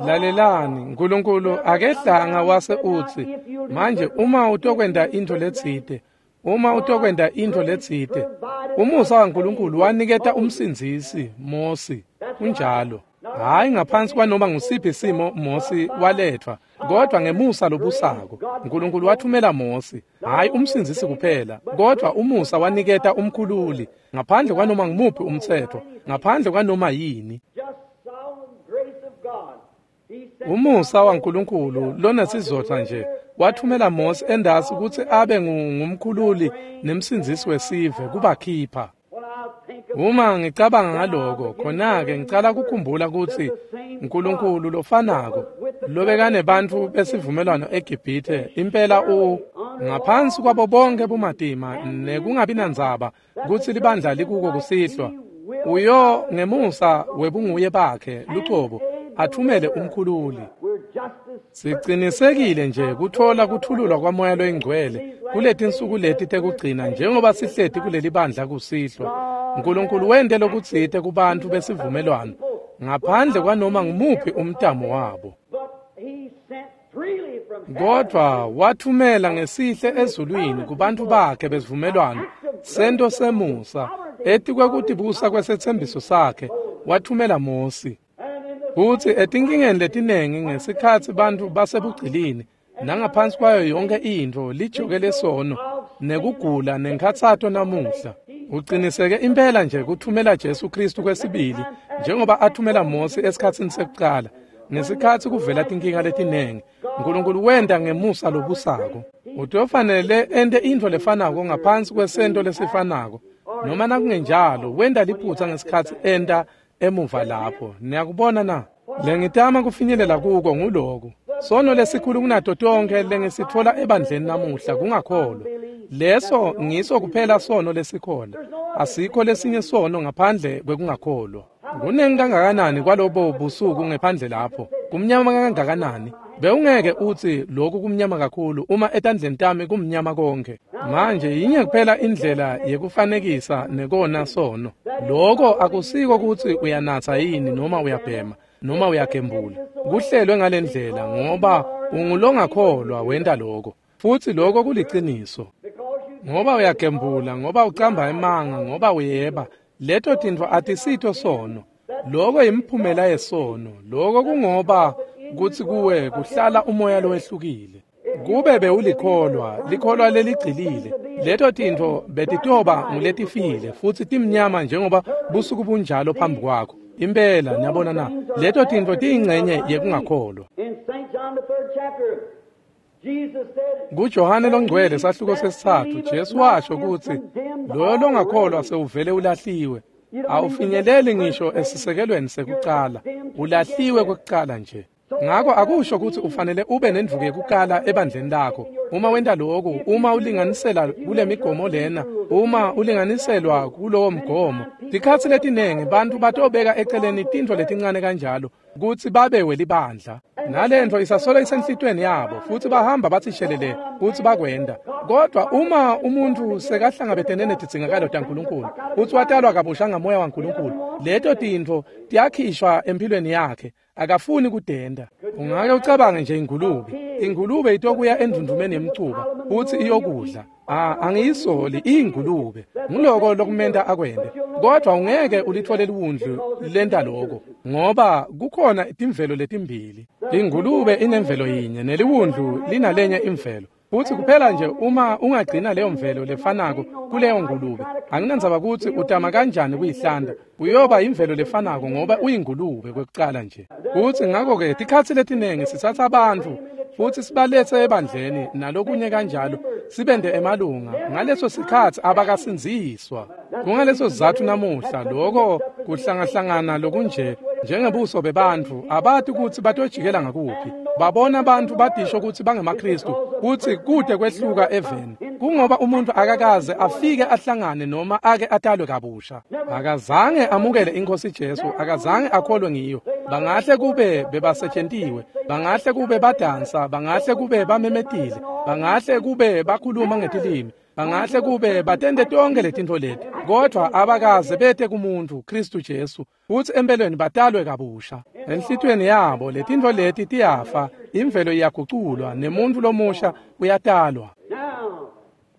A: Lalelani, Nkulunkulu akehlanga wase utsi, manje uma utokwenta intfo letsite, uma utokwenta intfo letsite, umusa waNkulunkulu waniketa umsindzisi Mosi. Kunjalo. Hayi ngaphansi kwanoma ngusiphi simo Mosi waletfwa, kodwa ngemusa lobusako Nkulunkulu wathumela Mosi, hayi umsindzisi kuphela, kodwa umusa waniketa umkhululi ngaphandle kwanoma ngumuphi umtsetfo, ngaphandle kwanoma yini. Umusa waNkulunkulu lonesizotha nje wathumela Mosi endasi kutsi abe ngumkhululi nemsindzisi wesive kubakhipha. Uma ngicabanga ngaloko, khona-ke ngicala kukhumbula kutsi Nkulunkulu lofanako lobekanebantfu besivumelwano eGibhithe impela u ngaphansi kwabo bonke bumatima nekungabi nandzaba kutsi libandla likuko kusihlwa, uyo ngemusa webunguye bakhe lucobo athumele umkhululi. Sicinisekile nje kuthola kuthululwa kwaMoya loyiNgcwele kuletinsuku leti tekugcina njengoba sihleti kuleli bandla kusihlwa. Nkulunkulu wente lokutsite kubantfu besivumelwano ngaphandle kwanoma ngumuphi umtamo wabo. Kodwa wathumela ngesihle ezulwini kubantfu bakhe besivumelwano sento semusa etikwekutibusa kwesethembiso sakhe wathumela Mosi. Futsi etinkingeni letinengi ngesikhatsi bantfu basebugcilini nangaphansi kwayo yonke intfo lijoke lesono nekugula nenkhatsato namuhla, uciniseke impela nje kuthumela Jesu Kristu kwesibili njengoba athumela Mosi esikhatsini sekucala. Ngesikhatsi kuvela tinkinga letinengi, Nkulunkulu wenta ngemusa lobusako. Utofanele ente intfo lefanako ngaphansi kwesento lesifanako, noma nakungenjalo wenta liphutsa ngesikhatsi enta emuva lapho. Niyakubona na? Lengitama kufinyelela kuko nguloku. Sono lesikhulu kunato tonke lengisitfola ebandleni namuhla kungakholwa. Leso ngiso kuphela sono lesikhona. Asikho lesinye sono ngaphandle kwekungakholwa. Kunengi kangakanani kwalobo busuku ngephandle lapho? Kumnyama kangakanani? Bewungeke utsi lokhu kumnyama kakhulu uma etandleni tami kumnyama konke. Manje yinye kuphela indlela yekufanekisa nekona sono. Lokho akusiko kutsi uyanatsa yini noma uyabhema noma uyagembula. Kuhlelwe ngalendlela ngoba ungulongakholwa wenta lokho. Futsi lokho kuliciniso. Ngoba uyagembula, ngoba ucamba emanga, ngoba uyeba, leto tintfo atisito sono. Lokho yimiphumela yesono. Lokho kungoba kutsi kuwe kuhlala umoya lowehlukile. Kube bewulikholwa, likholwa leligcilile, leto tintfo betitoba nguletifile futsi timnyama njengoba busuku bunjalo phambi kwakho. Impela, niyabona na, leto tintfo tiyingcenye yekungakholwa. KuJohane loNgcwele sahluko sesitsatfu, Jesu washo kutsi loyo longakholwa sewuvele ulahliwe. Awufinyeleli ngisho esisekelweni sekucala, ulahliwe kwekucala nje. Ngako akusho kutsi ufanele ube nendvuku yekukala ebandleni lakho. Uma wenta lokhu, uma ulinganisela kule migomo lena, uma ulinganiselwa kulowo mgomo, tikhatsi letinengi bantfu batobeka eceleni tintfo letincane kanjalo kutsi babe welibandla. Nalentfo isasolo isenhlitweni yabo futsi bahamba batsi shelele kutsi bakwenda. Kodwa uma umuntfu sekahlangabetene netidzingakalo taNkulunkulu futsi watalwa kabusha ngamoya waNkulunkulu, leto tintfo tiyakhishwa empilweni yakhe. Akafuni kudenda. Ungake ucabange nje ingulube. Ingulube itokuya endvundvumeni yemcuba futsi iyokudla. Ah, angiyisoli ingulube. Nguloko lokumenta akwende. Kodwa ungeke ulithole liwundlu lenta lokho, ngoba kukhona timvelo letimbili. Ingulube inemvelo yinye neliwundlu linalenye imvelo. Futsi kuphela nje uma ungagcina leyo mvelo lefanako kuleyo ngulube, anginandzaba kutsi utama kanjani kuyihlanda, uyoba imvelo lefanako ngoba uyingulube kwekucala nje. Futsi ngako-ke tikhatsi letinengi sitsatsa bantfu futsi sibaletse ebandleni nalokunye kanjalo, sibende emalunga. Ngaleso sikhatsi abakasindziswa. Kungaleso sizatfu namuhla loko kuhlangahlangana lokunje njengebuso bebantfu abati kutsi batojikela ngakuphi. Babona bantfu badisho kutsi bangemaKhristu kutsi kude kwehluka eveni. Kungoba umuntu akakaze afike ahlangane noma ake atalwe kabusha. Akazange amukele iNkhosi Jesu, akazange akholwe ngiyo. Bangahle kube bebasetshentiwe, bangahle kube badansa, bangahle kube bamemetile, bangahle kube bakhuluma ngetilimi, bangahle kube batente tonke letintfo leti, kodwa abakaze bete kumuntu Kristu Jesu futsi empelweni batalwe kabusha. Enhlitiyweni yabo letintfo leti tiyafa, imvelo iyaguculwa nemuntu lomusha uyatalwa.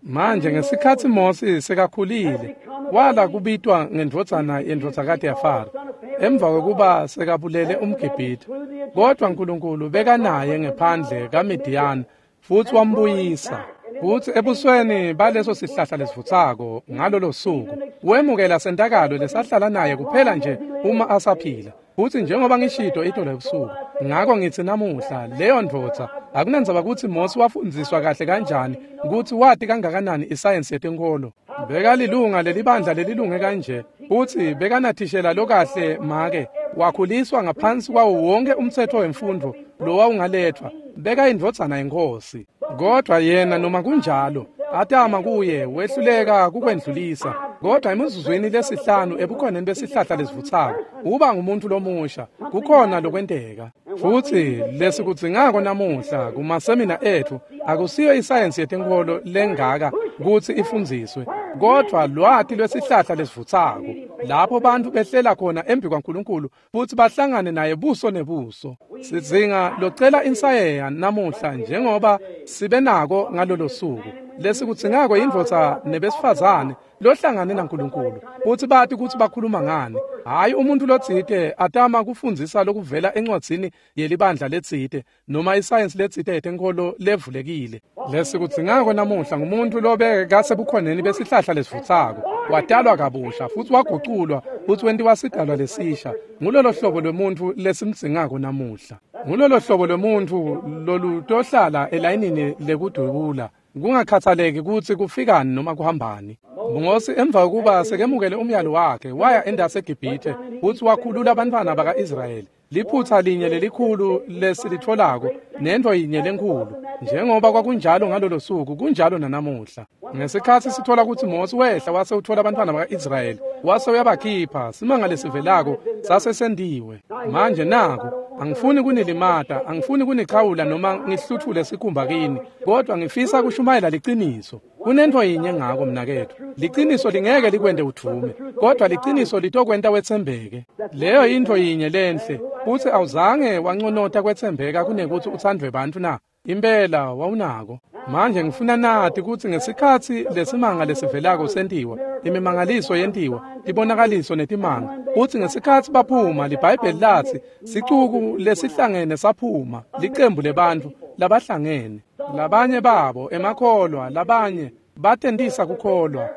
A: Manje ngesikhatsi Mose sekakhulile, wala kubitwa ngendvodzana yendvodzakati yaFaro emva kwekuba sekabulele umGibhithe. Kodwa Nkulunkulu bekanaye ngephandle kaMidiyani futsi wambuyisa. Futsi ebusweni baleso sihlahla lesivutsako ngalolo suku wemukela sentakalo lesahlala naye kuphela nje uma asaphila. Futsi njengoba ngishito itolo ebusuku, ngako ngitsi namuhla leyo ndvodza akunandzaba kutsi Mose wafundziswa kahle kanjani, kutsi wati kangakanani isayensi yetenkholo, bekalilunga lelibandla lelilunge kanje, futsi bekanathishela lokahle make, wakhuliswa ngaphansi kwawo wonke umtsetfo wemfundvo lowawungaletfwa, bekayindvodzana yenkhosi. Kodwa yena noma kunjalo atama kuye wehluleka kukwendlulisa. Kodwa emizuzwini lesihlanu ebukhoneni besihlahla lesivutsako uba ngumuntu lomusha, kukhona lokwenteka. Futsi lesikudzingako namuhla kumasemina etfu akusiyo isayensi yetenkholo lengaka kutsi ifundziswe, kodwa lwati lwesihlahla lesivutsako lapho bantfu behlela khona embi kwaNkulunkulu futsi bahlangane naye buso nebuso. Sidzinga locela insayeya namuhla njengoba sibe nako ngalolo suku. Lesikudzingako yindvodza nebesifazane lohlangane naNkulunkulu futsi bati kutsi bakhuluma ngani, hhayi umuntu lotsite atama kufundzisa lokuvela encwadzini yelibandla letsite noma isayensi letsite yetenkholo levulekile. Lesikudzingako namuhla ngumuntu lobekasebukhoneni besihlahla lesivutsako, watalwa kabusha futsi waguculwa futsi wentiwa sidalwa lesisha. Ngulolo hlobo lwemuntfu lesimdzingako namuhla. Ngulolo hlobo lwemuntfu lolutohlala elayinini lekudubula, kungakhathaleki kutsi kufikani noma kuhambani. Mose emva kokuba sekemukele umyalo wakhe waya endase eGibhithe futsi wakhulula abantwana baka-Israyeli. Liphutsa linye lelikhulu lesilitfolako nentfo yinye lenkhulu, njengoba kwakunjalo ngalolo suku kunjalo nanamuhla. Ngesikhatsi sitfola kutsi Mose wehla wase utfola abantwana baka-Israyeli wase uyabakhipha, simanga lesivelako sasesentiwe. Manje naku, angifuni kunilimata, angifuni kunichawula noma ngihluthule sikhumba kini, kodwa ngifisa kushumayela liciniso. Kunentfo yinye ngako mnaketfu, liciniso lingeke likwente udvume, kodwa liciniso litokwenta wetsembeke. Leyo yintfo yinye lenhle. Futsi awuzange wanconota kwetsembeka kunekutsi utsandvwe bantfu na? Impela wawunako. Manje ngifuna nati kutsi ngesikhatsi lesimanga lesivelako sentiwa, imimangaliso yentiwa, tibonakaliso netimanga, futsi ngesikhatsi baphuma, liBhayibheli latsi sicuku lesihlangene saphuma, licembu lebantfu labahlangene. Labanye babo emakholwa, labanye batentisa kukholwa.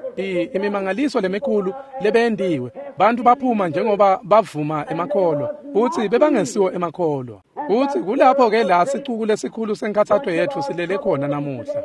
A: Imimangaliso lemikhulu lebeyentiwe, bantfu baphuma njengoba bavuma emakholwa, futsi bebangesiwo emakholwa. Futsi kulapho-ke la sicuku lesikhulu senkhatsato yetfu silele khona namuhla.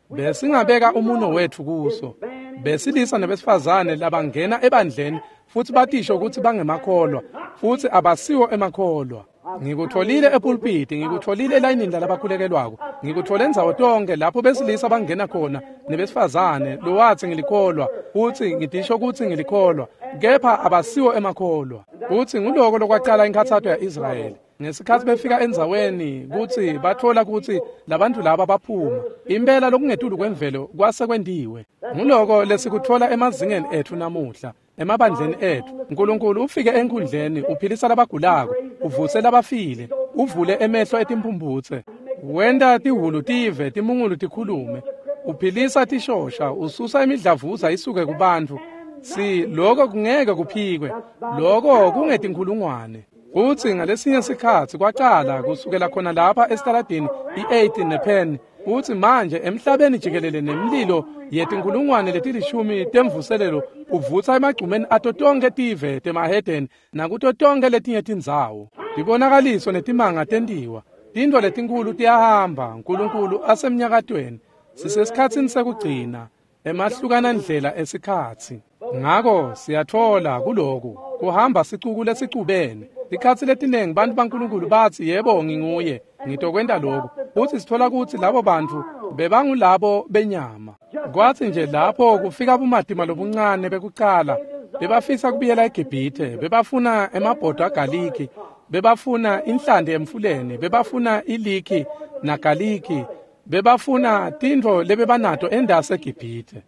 A: Besingabeka umuno wetfu kuso. Besilisa nebesifazane labangena ebandleni futsi batisho kutsi bangemakholwa, futsi abasiwo emakholwa. Ngikutholile epulpiti, ngikutholile elayinini lalabakhulekelwako, ngikuthole ndzawo tonke lapho besilisa bangena khona nebesifazane lowathi ngilikholwa, utsi ngitisho kutsi ngilikholwa, kepha abasiwo emakholwa. Utsi nguloko lokwacala inkhatsato ya-Israyeli. Ngesikhatsi befika endzaweni kutsi batfola kutsi labantu laba baphuma, impela lokungetulu kwemvelo kwase kwentiwe. Nguloko lesikutfola emazingeni etfu namuhla, emabandleni etfu. Nkulunkulu ufike enkhundleni, uphilisa labagulako, uvuse labafile, uvule emehlo etimphumphutse, wenta tihhulu tive, timungulu tikhulume, uphilisa tishosha, ususa imidlavuza isuke kubantfu. Si loko kungeke kuphikwe, loko kungetinkhulungwane. Kutsi ngalesinye sikhatsi kwacala kusukela khona lapha esitaladini i-eighth nePenn, kutsi manje emhlabeni jikelele nemlilo yetinkhulungwane letilishumi temvuselelo uvutsa emagcumeni ato tonkhe tive temahedeni nakuto tonkhe letinye tindzawo. Tibonakaliso netimanga tentiwa, tintfo letinkhulu tiyahamba, Nkulunkulu asemnyakatweni. Sisesikhatsini sekugcina, emahlukana ndlela esikhatsi. Ngako siyatfola kuloku kuhamba sicuku lesicubene. Tikhatsi letinengi bantfu baNkulunkulu batsi yebo nginguye, ngitokwenta lokhu. Futsi sitfola kutsi labo bantfu bebangulabo benyama. Kwatsi nje lapho kufika bumatima lobuncane bekucala, bebafisa kubuyela eGibhithe, bebafuna emabhodo agaliki, bebafuna inhlanti emfuleni, bebafuna iliki nagaliki, bebafuna tintfo lebebanato endase eGibhithe.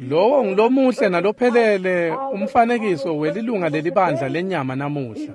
A: Lowo ngulomuhle nalophelele umfanekiso welilunga lelibandla lenyama namuhla.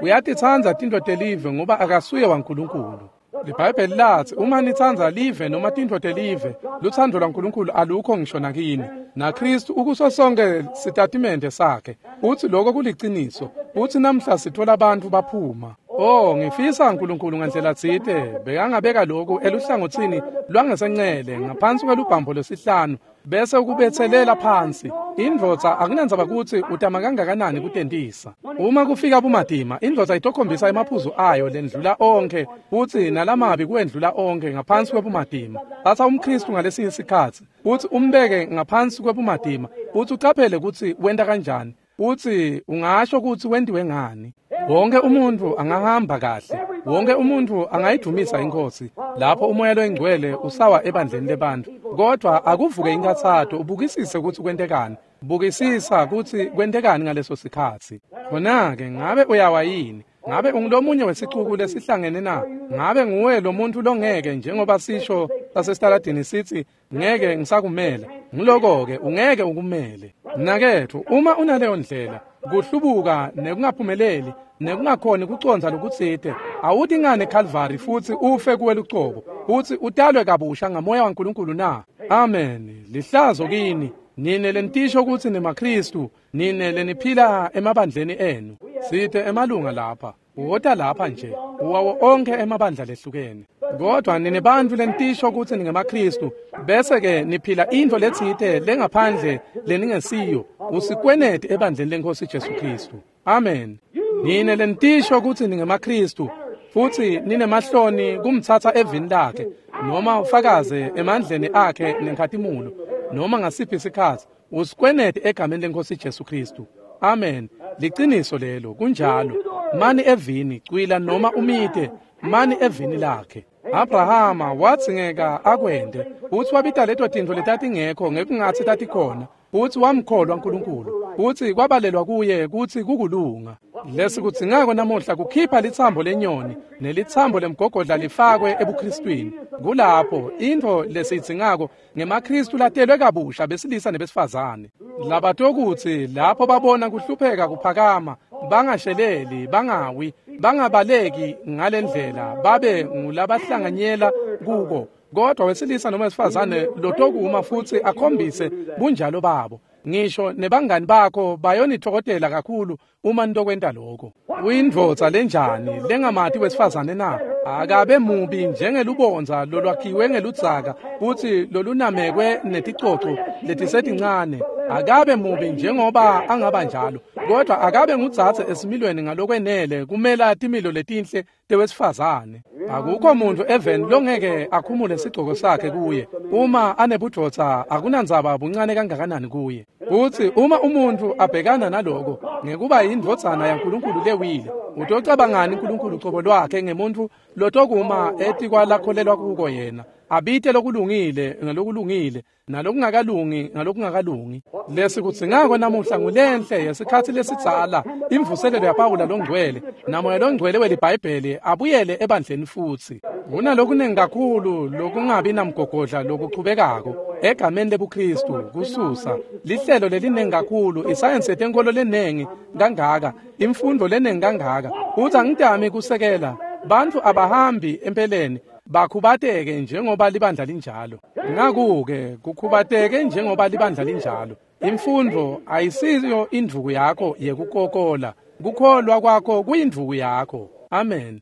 A: Uyatitsandza tintfo telive ngoba akasuye waNkulunkulu. LiBhayibheli latsi uma nitsandza live noma tintfo telive, lutsandvo lwaNkulunkulu alukho ngisho nakini. NaKhristu ukuso sonke sitatimende sakhe. Utsi lokho kuliciniso. Utsi namhla sitfola bantfu baphuma. Oh, ngifisa uNkulunkulu ngandlela tsite bekangabeka lokhu eluhlangotsini lwangesencele ngaphansi kwelubhambo lwesihlanu bese ukubetselela phansi. Indvodza akunandzaba kutsi utama kangakanani kutentisa. Uma kufika bumatima, indvodza itokhombisa emaphuzu ayo lendlula onkhe futsi nalamabi kuwendlula onkhe ngaphansi kwebumatima. Tsatsa umKhristu ngalesinye sikhatsi futsi umbeke ngaphansi kwebumatima futsi ucaphele kutsi wenta kanjani, futsi ungasho kutsi wentiwe ngani. Wonke umuntfu angahamba kahle, wonke umuntfu angayidumisa iNkhosi lapho umoya loyingcwele usawa ebandleni lebantfu, kodvwa akuvuke inkhatsato ubukisise kutsi kwentekani. Bukisisa kutsi kwentekani ngaleso sikhatsi. Khona-ke ngabe uyawa yini? Ngabe ungulomunye wesicuku lesihlangene na? Ngabe nguwe lo muntfu longeke njengoba sisho sasesitaladini sitsi ngeke ngisakumela? Nguloko-ke ungeke ukumele. Mnaketfu, uma unaleyo ndlela, kuhlubuka nekungaphumeleli nekungakhoni kucondza lokutsite, awuti ngani eKhalvari futsi ufe kuwe lucobo, futsi utalwe kabusha ngamoya waNkulunkulu na? Amen. Lihlazo kini nine lenitisho kutsi nemaKhristu, nine leniphila emabandleni enu. Site emalunga lapha, uwota lapha nje, uwawo onkhe emabandla lehlukene. Kodwa nine bantfu lenitisho kutsi ningemaKhristu, bese-ke niphila intfo letsite lengaphandle leningesiyo, usikweneti ebandleni leNkhosi Jesu Khristu. Amen. Nine lenitisho kutsi ningemaKhristu, futsi ninemahloni kumtsatsa evini lakhe, noma ufakaze emandleni akhe nenkhatimulo, noma ngasiphi sikhatsi, usikweneti egameni leNkhosi Jesu Khristu. Amen. Liciniso lelo, kunjalo. Mani evini, cwila noma umite, mani evini lakhe. Abrahama wadzingeka akwente, futsi wabita leto tintfo letatingekho ngekungatsi tatikhona, futsi wamkholwa Nkulunkulu, futsi kwabalelwa kuye kutsi kukulunga. Lesikudzingako namuhla kukhipha litsambo lenyoni nelitsambo lemgogodla lifakwe ebuKhristwini. Kulapho intfo lesiyidzingako ngemaKhristu latelwe kabusha besilisa nebesifazane. Labatokutsi lapho babona kuhlupheka kuphakama, bangasheleli, bangawi, bangabaleki ngalendlela, babe ngulabahlanganyela kuko. Kodwa wesilisa noma wesifazane lotokuma futsi akhombise bunjalo babo. Ngisho nebangani bakho bayonithokotela kakhulu uma nitokwenta lokho. Uyindvodza lenjani lengamati wesifazane na? Akabe mubi njengelubondza lolwakhiwe ngeludzaka futsi lolunamekwe neticoco letisetincane. Akabe mubi njengoba angaba njalo, kodwa akabe ngudzadze esimilweni ngalokwenele kumela timilo letinhle tewesifazane. Akukho muntfu eveni longeke akhumule sigcoko sakhe kuye uma anebudvodza, akunandzaba buncane kangakanani kuye. Futsi uma umuntfu abhekana naloko ngekuba yindvodzana yaNkulunkulu lewile, Utocabangani uNkulunkulu ucobo lwakhe ngemuntu lotokuma etikwalakholelwa kuko yena, abite lokulungile ngalokulungile nalokungakalungi ngalokungakalungi? Lesikudzingako namuhla ngulenhle yesikhatsi lesidzala, imvuselelo yaPawula longcwele naMoya longcwele weliBhayibheli abuyele ebandleni futsi. Kunalokunengi kakhulu lokungabi namgogodla lokuchubekako egameni lebuKristu kususa lihlelo lelinengi kakhulu, isayensi yetenkolo lenengi kangaka, imfundo lenengi kangaka. Uthi angitami kusekela bantfu abahambi empeleni bakhubateke njengoba libandla linjalo. Ngaku-ke kukhubateke njengoba libandla linjalo. Imfundo ayisiyo indvuku yakho yekukokola, kukholwa kwakho kuyindvuku yakho. Amen.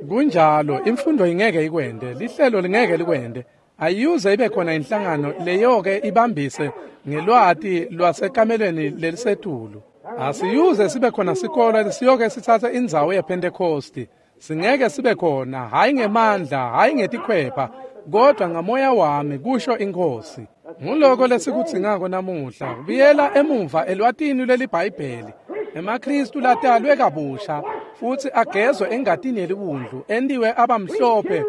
A: Kunjalo, imfundo ingeke ikwende, lihlelo lingeke likwende. Ayiyuze ibe khona inhlangano leyo-ke ibambise ngelwati lwasekamelweni lelisetulu. Asiyuze sibe khona sikolo lesiyoke sitsatse indzawo yePhentekhosti. Singeke sibe khona, hhayi ngemandla, hhayi ngetikhwepha, kodwa ngamoya wami, kusho iNkhosi. Nguloko lesikudzingako namuhla, kubuyela emuva elwatini lweliBhayibheli. EmaKristu latalwe kabusha futsi agezwe engatini yeliwundlu, entiwe abamhlophe,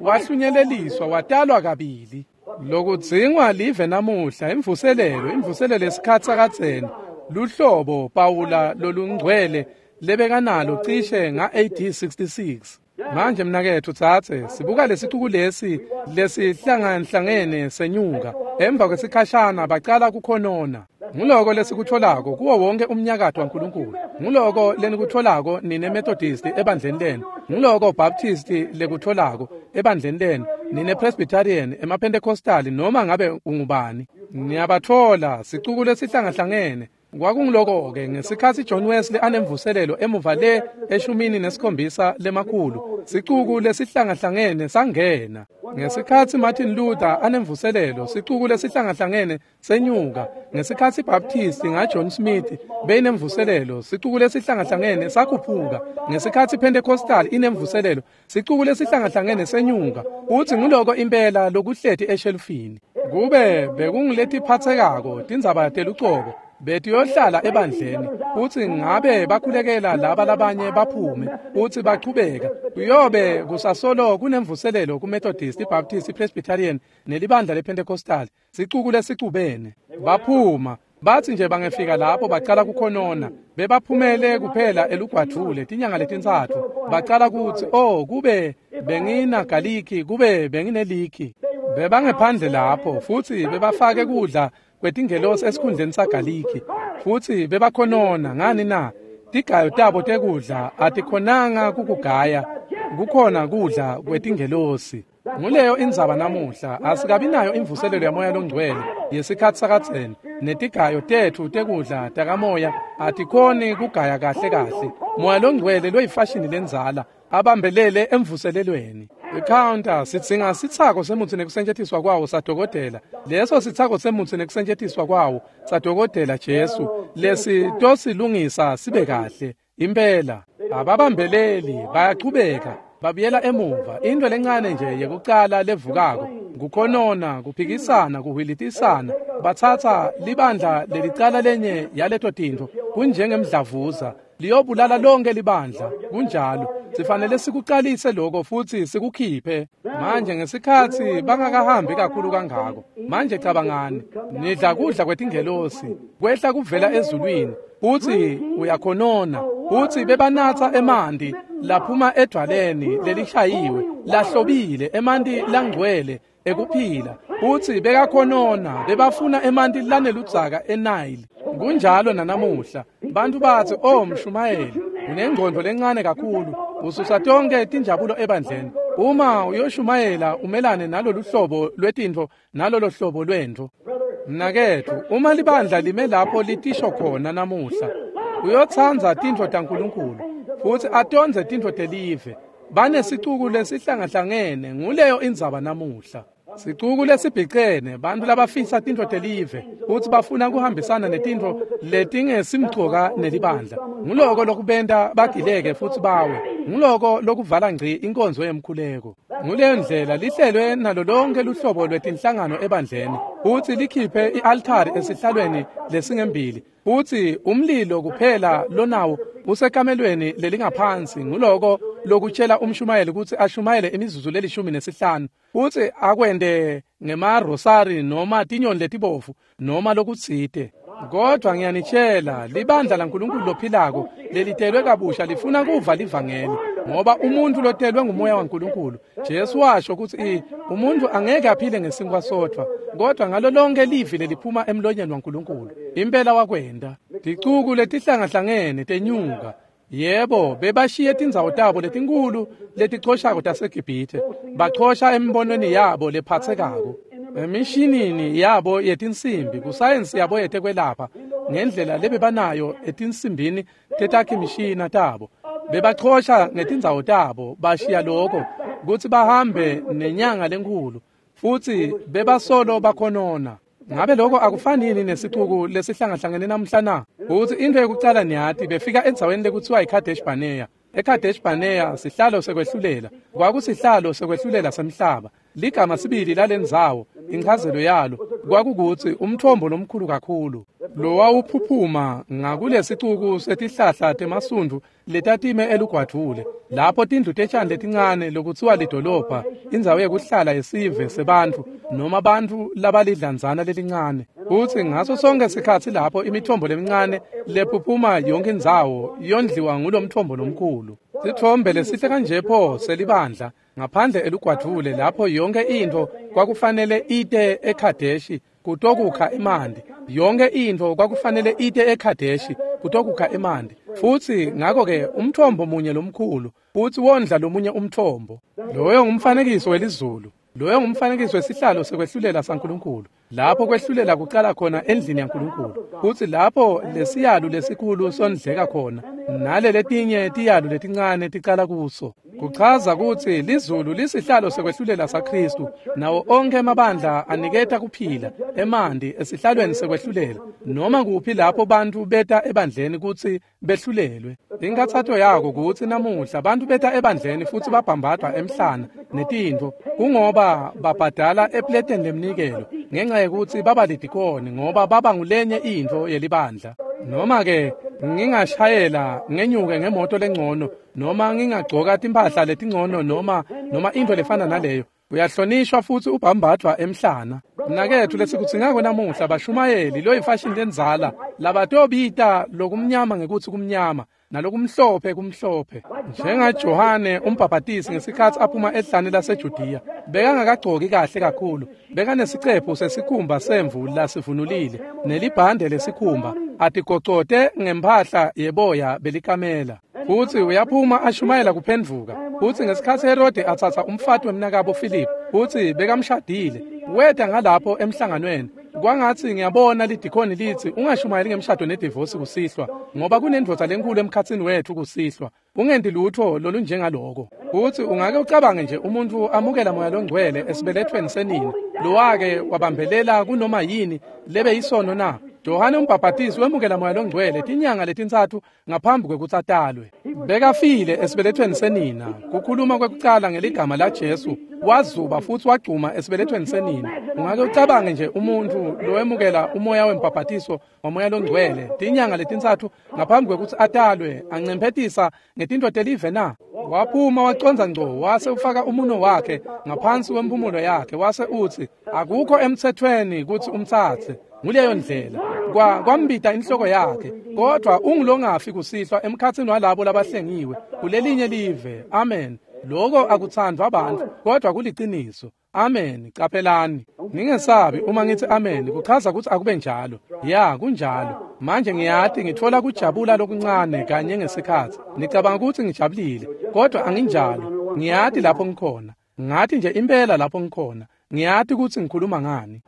A: wahlunyeleliswa, watalwa kabili. Lokudzingwa live namuhla, imvuselelo, imvuselelo yesikhatsi sakadzeni, luhlobo Pawula lolungcwele lebekanalo cishe nga-A D sixty-six. Manje mnaketfu tsatse, sibuka lesicuku lesi lesihlanganhlangene senyuka. Emva kwesikhashana bacala kukhonona. Nguloko lesikutfolako kuwo wonke umnyakato waNkulunkulu. Nguloko lenikutfolako nine Methodist ebandleni lenu. Nguloko Baptist lekutfolako ebandleni lenu, nine Presbyterian, emaPentecostal, noma ngabe ungubani. Niyabatfola sicuku lesihlangahlangene. Kwakunguloko-ke ngesikhatsi John Wesley anemvuselelo emuva le eshumini nesikhombisa lemakhulu, sicuku lesihlangahlangene sangena. Ngesikhatsi Martin Luther anemvuselelo, sicuku lesihlangahlangene senyuka. Ngesikhatsi Baptist ngaJohn Smith beyinemvuselelo, sicuku lesihlangahlangene sakhuphuka. Ngesikhatsi Pentecostal inemvuselelo, sicuku lesihlangahlangene senyuka. Utsi nguloko impela lokuhleti eshelufini. Kube bekunguletiphatsekako tindzaba telucobo betiyohlala ebandleni, utsi ngabe bakhulekela laba labanye baphume, utsi bachubeka. Kuyobe kusasolo kunemvuselelo kuMethodist, iBaptist, iPresbyterian nelibandla lePentecostal, sicuku lesicubene. Baphuma, batsi nje bangefika lapho bacala kukhonona. Bebaphumele kuphela elugwadvule tinyanga letintsatfu. Bacala kutsi, oh, kube benginagaliki, kube bengineliki. Bebangephandle lapho futsi bebafake kudla kwetingelosi esikhundleni sagaliki, futsi bebakhonona. Ngani na? Tigayo tabo tekudla atikhonanga kukugaya, kukhona kudla kwetingelosi. Nguleyo indzaba namuhla, asikabi nayo imvuselelo yaMoya longcwele yesikhatsi sakadzeni, netigayo tetfu tekudla takamoya atikhoni kugaya kahle kahle. Moya longcwele loyifashini lendzala abambelele emvuselelweni. Icounter sidzinga sitsako semutsi nekusetjentiswa kwawo sadokotela. Leso sitsako semutsi nekusetjentiswa kwawo sadokotela Jesu lesi tosilungisa sibe kahle. Impela ababambeleli, bayachubeka babuyela emuva. Into lencane nje yekucala levukako kukhonona, kuphikisana, kuhwilitisana. Batsatsa libandla lelicala lenye yaleto tintfo, kunjengemdlavuza liyobulala lonke libandla. Kunjalo, sifanele sikucalise lokho futsi sikukhiphe. Manje ngesikhatsi bangakahambi kakhulu kangako, manje cabangani, nidla kudla kwetingelosi kwehla kuvela ezulwini, utsi uyakhonona, utsi bebanatsa emanti laphuma edvwaleni lelishayiwe lahlobile, emanti langcwele ekuphila. Utsi bekakhonona, bebafuna emanti laneludzaka eNile. Kunjalo nanamuhla, bantu batsi, oh mshumayeli, unengqondo lencane kakhulu, ususa tonke tinjabulo ebandleni. Uma uyoshumayela umelane nalolu hlobo lwetintfo nalolo hlobo lwentfo. Mnaketfu, uma libandla lime lapho litisho khona namuhla, uyotsandza tintfo taNkulunkulu futsi atondze tintfo telive. Banesicuku lesihlangahlangene, nguleyo indzaba namuhla. Sicuku lesibhicene, bantu labafisa tintfo telive futsi bafuna kuhambisana netintfo letingesimcoka nelibandla. Nguloko lokubenta bagileke futsi bawe. Nguloko lokuvala ngci inkonzo yemkhuleko. Nguleyo ndlela lihlelwe nalo lonke luhlobo lwetinhlangano ebandleni, futsi likhiphe i-altari esihlalweni lesingembili, futsi umlilo kuphela lonawo usekamelweni lelingaphansi. Nguloko lokutshela umshumayeli kutsi ashumayele imizuzu lelishumi nesihlanu, futsi akwente ngemarosari noma tinyoni letibovu noma lokutsite. Kodwa ngiyanitshela, libandla laNkulunkulu lophilako lelitelwe kabusha lifuna kuva livangeli, ngoba umuntu lotelwe ngumoya waNkulunkulu, Jesu washo kutsi umuntu angeke aphile ngesinkwa sodvwa, kodwa ngalo lonke livi leliphuma emlonyeni waNkulunkulu. Impela wakwenda. Ticuku letihlangahlangene tenyuka. Yebo, bebashiye tindzawo tabo letinkulu letichoshako taseGibhithe, bachosha emibonweni yabo lephatsekako, emishinini yabo yetinsimbi, kusayensi yabo yetekwelapha, ngendlela lebebanayo etinsimbini tetakhimishina tabo. Bebachosha ngetindzawo tabo, bashiya lokho kutsi bahambe nenyanga lenkhulu, futsi bebasolo bakhonona. Ngabe lokho akufanini nesicuku lesihlangahlangene namhla na? Kutsi into yekucala niyati, befika endzaweni lekuthiwa iKadesh Barnea. eKadesh Barnea sihlalo sekwehlulela, kwakusihlalo sekwehlulela semhlaba. Ligama sibili lalendzawo, inchazelo yalo kwakukutsi umthombo lomkhulu kakhulu lowawuphuphuma ngakulesicuku setihlahla temasundvu letatime elugwadvule, lapho tindlu tetjani letincane lokutsiwa lidolobha, indzawo yekuhlala yesive sebantfu noma bantfu labalidlanzana lelincane. Futsi ngaso sonke sikhatsi lapho imithombo lemincane lephuphuma yonke indzawo yondliwa ngulomthombo lomkhulu. Sitfombe lesihle kanje pho selibandla ngaphandle elugwadvule, lapho yonke intfo kwakufanele ite eKhadeshi kutokukha emanti. Yonke intfo kwakufanele ite eKhadeshi kutokukha emanti. Futsi ngakho-ke umthombo munye lomkhulu futsi wondla lomunye umthombo. Loyo ngumfanekiso welizulu. Loyo ngumfanekiso wesihlalo sekwehlulela saNkulunkulu, lapho kwehlulela kucala khona endlini yaNkulunkulu, futsi lapho lesiyalu lesikhulu sondleka khona, nale letinye tiyalu letincane ticala kuso. Kuchaza kutsi lizulu lisihlalo sekwehlulela saKhristu, nawo onkhe emabandla aniketa kuphila emanti esihlalweni sekwehlulela, noma kuphi lapho bantfu beta ebandleni kutsi behlulelwe. Inkathato yako kutsi namuhla bantfu beta ebandleni futsi babhambadwa emhlana netintfo, kungoba babhadala epleteni lemnikelo ngenxa yekutsi baba lidikoni, ngoba baba ngulenye intfo yelibandla. Noma-ke ngingashayela ngenyuke ngemoto lengcono, noma ngingagcoka timphahla letingcono, noma noma intfo lefana naleyo, uyahlonishwa futsi ubhambadvwa emhlana. Mnaketfu, lesikudzingako namuhla bashumayeli loyifashini lendzala labatobita lokumnyama ngekutsi kumnyama nalokumhlophe kumhlophe, njengaJohane umbhabhatisi ngesikhatsi aphuma ehlane laseJudiya. Bekangakagcoki kahle kakhulu, bekanesicephu sesikhumba semvu lasivunulile nelibhande lesikhumba, atigocote ngemphahla yeboya belikamela. Futsi uyaphuma ashumayela kuphendvuka. Futsi ngesikhatsi Herode atsatsa umfati wemnakabo Philip, futsi bekamshadile, weta ngalapho emhlanganweni. Kwangatsi ngiyabona lidikhoni litsi ungashumayeli ngemshado nedivosi kusihlwa, ngoba kunendvodza lenkulu emkhatsini wetfu kusihlwa. Ungenti lutho lolunjengaloko. Futsi ungake ucabange nje umuntfu amukela moya longcwele esibelethweni senina, lowake wabambelela kunoma yini lebe isono na? Johane umbhabhatisi wemukela moya longcwele tinyanga letintsatfu ngaphambi kwekutsi atalwe. Bekafile esibelethweni senina. Kukhuluma kwekucala ngeligama laJesu, wazuba futsi wagcuma esibelethweni senina. Ungake ucabange nje umuntfu lowemukela umoya wembhabhatiso wamoya longcwele tinyanga letintsatfu ngaphambi kwekutsi atalwe, ancemphetisa ngetintfo telive na? Waphuma wacondza ngco, wase ufaka umuno wakhe ngaphansi kwemphumulo yakhe, wase utsi akukho emtsetfweni kutsi umtsatse. Nguleyo ndlela kwa kwambita inhloko yakhe, kodwa ungulongafi kusihlwa emkhatsini walabo labahlengiwe kulelinye live. Amen. Lokho akutsandvwa abantu, kodwa kuliciniso. Amen. Caphelani, ningesabi uma ngithi amen, kuchaza kutsi akube njalo. Ya, kunjalo. Manje ngiyati ngitfola kujabula lokuncane kanye ngesikhatsi. Nicabanga kutsi ngijabulile, kodwa anginjalo. Ngiyati lapho ngikhona. Ngathi nje impela lapho ngikhona. Ngiyati kutsi ngikhuluma ngani.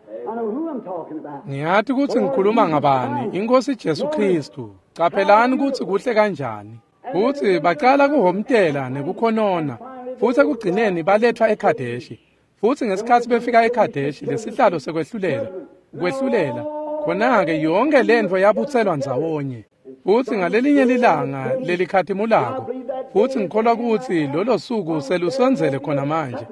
A: Ngiyati kutsi ngikhuluma ngabani, iNkosi Jesu Khristu. Caphelani kutsi kuhle kanjani. Futsi bacala kuhomtela nekukhonona, futsi ekugcineni balethwa eKhadeshi. Futsi ngesikhatsi befika eKhadeshi, lesihlalo sekwehlulela, kwehlulela, khona-ke yonke lentfo yabutselwa ndzawonye. Futsi ngalelinye lilanga lelikhatimulako, Futsi ngikholwa kutsi lolo suku selusondzele khona manje,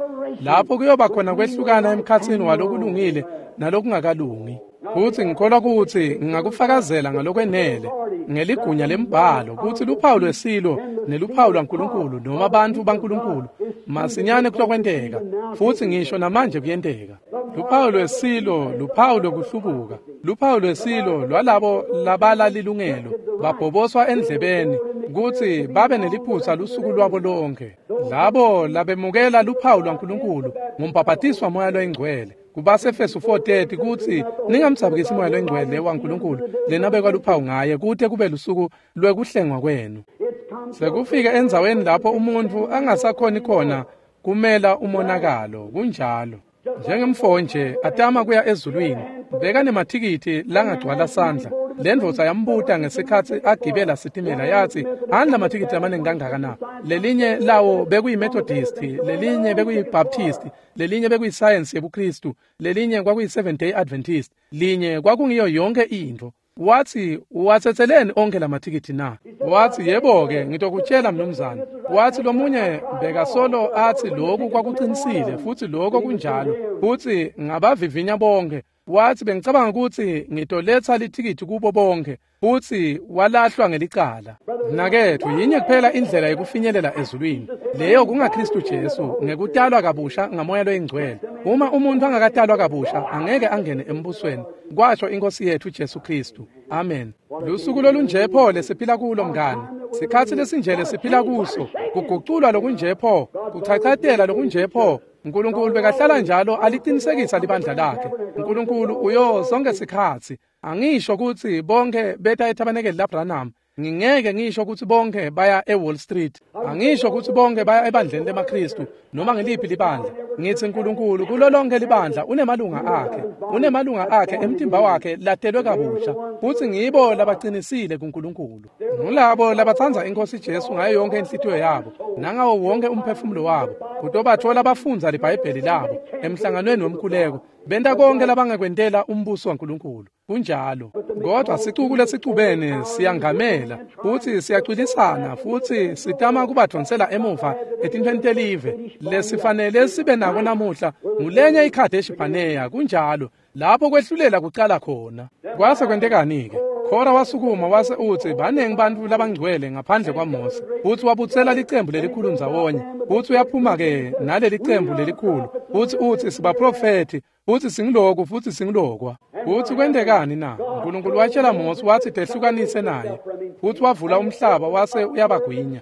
A: lapho kuyoba khona kwehlukana emkhatsini walokulungile nalokungakalungi. Futsi ngikholwa kutsi ngingakufakazela ngalokwenele ngeligunya lembhalo kutsi luphawu lwesilo neluphawu lwaNkulunkulu noma bantfu baNkulunkulu masinyane kutokwenteka, futsi ngisho namanje kuyenteka. Luphawu lwesilo luphawu lokuhlubuka, luphawu lwesilo lwalabo labala lilungelo babhoboswa endlebeni kutsi babe neliphutsa lusuku lwabo lonke. Labo labemukela luphawu lwaNkulunkulu ngumbhabhatiswa Moya loyiNgcwele. Kubasefesu four thirty kutsi ningamdzabukisi Moya loyiNgcwele waNkulunkulu lenabekwa luphawu ngaye kute kube lusuku lwekuhlengwa kwenu. Sekufika endzaweni lapho umuntfu angasakhoni khona kumela umonakalo. Kunjalo. Njengemfo nje atama kuya ezulwini, bekanemathikithi langagcwala sandla. Lendvodza yambuta ngesikhatsi agibela sitimela yatsi, "Ani lamathikithi lamaningi kangaka na?" Lelinye lawo bekuyi-Methodist, lelinye bekuyi-Baptist, lelinye bekuyi-Science yebuKristu, lelinye kwakuyi-Seventh Day Adventist, linye kwakungiyo yonke intfo. Watsi, "Uwatsetseleni onke lamathikithi na?" Watsi, "Yebo-ke, ngitokutshela mnumzane." Watsi lomunye bekasolo atsi lokhu kwakuqinisile futsi lokho kunjalo, futsi ngabavivinya bonke. Watsi, "Bengicabanga kutsi ngitoletsa lithikithi kubo bonke," futsi walahlwa ngelicala. Mnaketfu, yinye kuphela indlela yekufinyelela ezulwini, leyo kungaKristu Jesu ngekutalwa kabusha ngaMoya loyiNgcwele. Uma umuntfu angakatalwa kabusha angeke angene embusweni, kwasho iNkosi yetfu Jesu Kristu. Amen. Lusuku lolunje pho lesiphila kulo mngani, sikhatsi lesinje lesiphila kuso, kuguculwa lokunje pho, kuchachatela lokunje pho. Nkulunkulu bekahlala njalo alicinisekisa libandla lakhe. Nkulunkulu uyo sonke sikhatsi. Angisho kutsi bonke beta ethabanekeli laBranham. Ngingeke ngisho kutsi bonke baya eWall Street. Angisho kutsi bonke baya ebandleni lemaKristu noma ngeliphi libandla. Ngitsi Nkulunkulu kulo lonke libandla unemalunga akhe. Unemalunga akhe emtimba wakhe latelwe kabusha. Futsi ngibo labaqinisile kuNkulunkulu. Ngulabo labatsandza iNkosi Jesu ngayo yonke inhlitiyo yabo nangawo wonke umphefumulo wabo. Kutobathola bafundza liBhayibheli labo emhlanganweni wemkhuleko. Benta konke labangakwentela umbuso waNkulunkulu. Kunjalo. Kodwa sicuku lesicubene siyangamela futsi siyacwilisana futsi sitama kubadvonsela emuva etintfweni telive. Lesifanele sibe nako namuhla ngulenye iKhadeshi Bhaneya. Kunjalo. Lapho kwehlulela kucala khona. Kwase kwentekani-ke? Khora wasukuma wase utsi banengi bantfu labangcwele ngaphandle kwaMose. Futsi wabutsela licembu lelikhulu ndzawonye. Futsi uyaphuma-ke naleli cembu lelikhulu. Futsi utsi sibaprofethi, futsi singiloku futsi singilokwa. Futsi kwentekani na? Nkulunkulu watshela Mose watsi tehlukanise naye. Futsi wavula umhlaba wase uyabagwinya.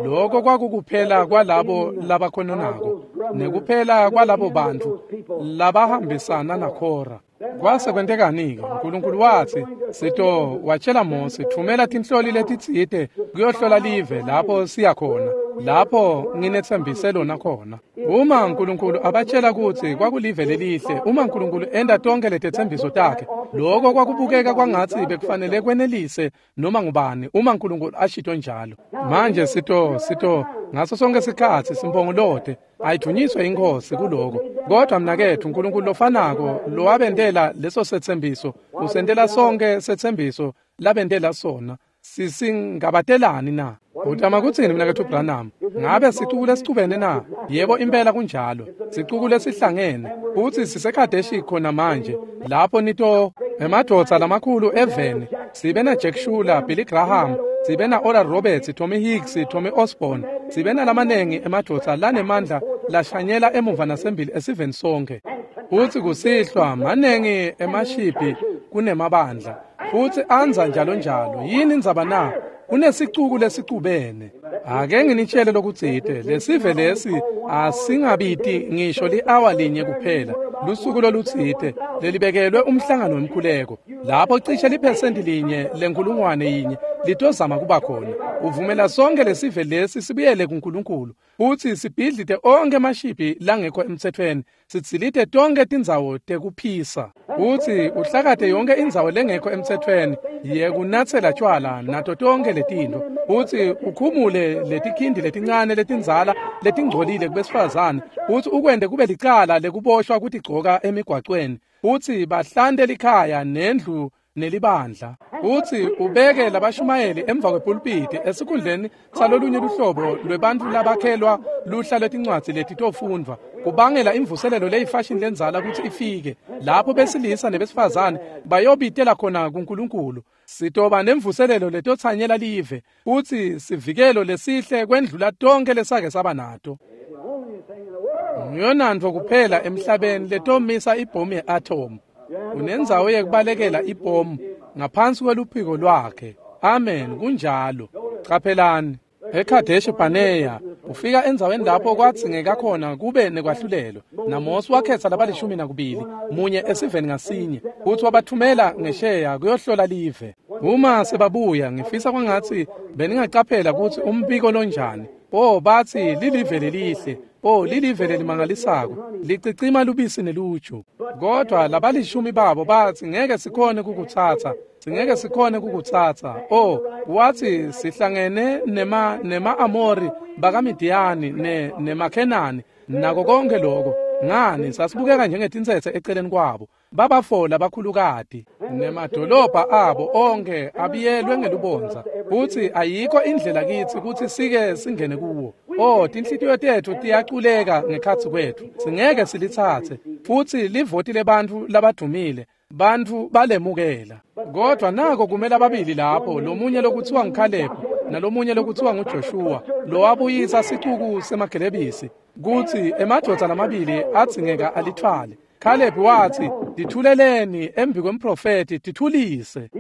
A: Lokho kwakukuphela kwalabo labakhononako nekuphela kwalabo bantfu labahambisana naKhora. Kwase kwentekani-ke? Nkulunkulu watsi sito watshela Mose, thumela tinhloli letitsite kuyohlola live lapho siya khona, lapho nginetsembise lona khona. Uma Nkulunkulu abatshela kutsi kwakulive lelihle, uma Nkulunkulu enta tonke letetsembiso takhe, lokho kwakubukeka kwangatsi bekufanele kwenelise noma ngubani uma Nkulunkulu ashito njalo. Manje sito sito ngaso sonke sikhatsi simpongolote ayithunyiswe iNkhosi kuloko. Kodwa mnaketfu, Nkulunkulu lofanako lowabentela leso setsembiso usentela sonke setsembiso labentela sona. Sisingabatelani na? Utama kutsini mnaketfu Branham? Ngabe sicuku lesicubene na? Yebo, impela kunjalo. Sicuku lesihlangene futsi siseKhadeshi khona manje. Lapho nito emadvodza lamakhulu eveni, sibe na Jack Shuler, Billy Graham, sibe na Oral Roberts, Tommy Hicks, Tommy Osborne, sibe nalamanengi emadvodza lanemandla lashanyela emuva nasembili esiveni sonke. Futsi kusihlwa manengi emashibhi kunemabandla, futsi anza njalo njalo. Yini indzaba na? Kunesicuku lesicubene. Ake nginitshele lokutsite, lesive lesi asingabiti ngisho li-awa linye kuphela, lusuku lolutsite lelibekelwe umhlangano wemkhuleko, lapho cishe liphesenti linye lenkulungwane yinye litozama kuba khona. Uvumela sonke lesive lesi sibuyele kuNkulunkulu, futsi sibhidlite onke emashibhi langekho emtsetfweni, sitsilite tonke tindzawo tekuphisa, futsi uhlakate yonke indzawo lengekho emtsetfweni yekunatsela tjwala nato tonke letintfo, futsi ukhumule letikhindi letincane letindzala letingcolile kubesifazane, futsi ukwente kube licala lekuboshwa kutigcoka emigwacweni, futsi bahlante likhaya nendlu nelibandla. Futsi ubeke labashumayeli emva kwepulpiti esikhundleni salolunye luhlobo lwebantfu labakhelwa luhla lwetincwadzi letitofundvwa kubangela imvuselelo leyifashini lendzala kutsi ifike lapho besilisa nebesifazane bayobitela khona kuNkulunkulu. Sitoba nemvuselelo letotsanyela live futsi sivikelo lesihle kwendlula tonke lesake saba nato. Ngiyonantfo kuphela emhlabeni letomisa ibhomu ye-atom. Unendzawo yekubalekela ibhomu ngaphansi kweluphiko lwakhe. Amen, kunjalo. Caphelani eKhadeshi Barnea ufika endzaweni lapho kwadzingeka khona kube nekwahlulelo. NaMose wakhetsa labalishumi nakubili, munye esiveni ngasinye, futsi wabathumela ngesheya kuyohlola live. Uma sebabuya, ngifisa kwangatsi beningacaphela kutsi umbiko lonjani. Oh, batsi lilive lelihle. Oh, lilive lelimangalisako, licicima lubisi neluju. Kodwa labalishumi babo batsi ngeke sikhone kukutsatsa, singeke sikhone kukutsatsa. Oh, wathi sihlangene nema nema-Amori bakaMidiyani ne nemaKhenani nako konke lokho. Ngani sasibukeka njengetintsetse eceleni kwabo. Babafola bakhulukati nemadolobha abo onke abiyelwe ngelubondza, futsi ayikho indlela kitsi kutsi sike singene kuwo. Oh, tinhlitiyo tetfu tiyaculeka ngekhatsi kwetfu, singeke silitsatse. Futsi livoti lebantfu labadumile, bantfu balemukela. Kodwa nako kumele ababili lapho, lomunye lokutsiwa nguKhalebu nalomunye lokutsiwa nguJoshua, lowabuyisa sicuku semagelebisi kutsi emadvodza lamabili adzingeka alithwale. Khalebu wathi, "Tithuleleni embi kwemprofeti, tithulise."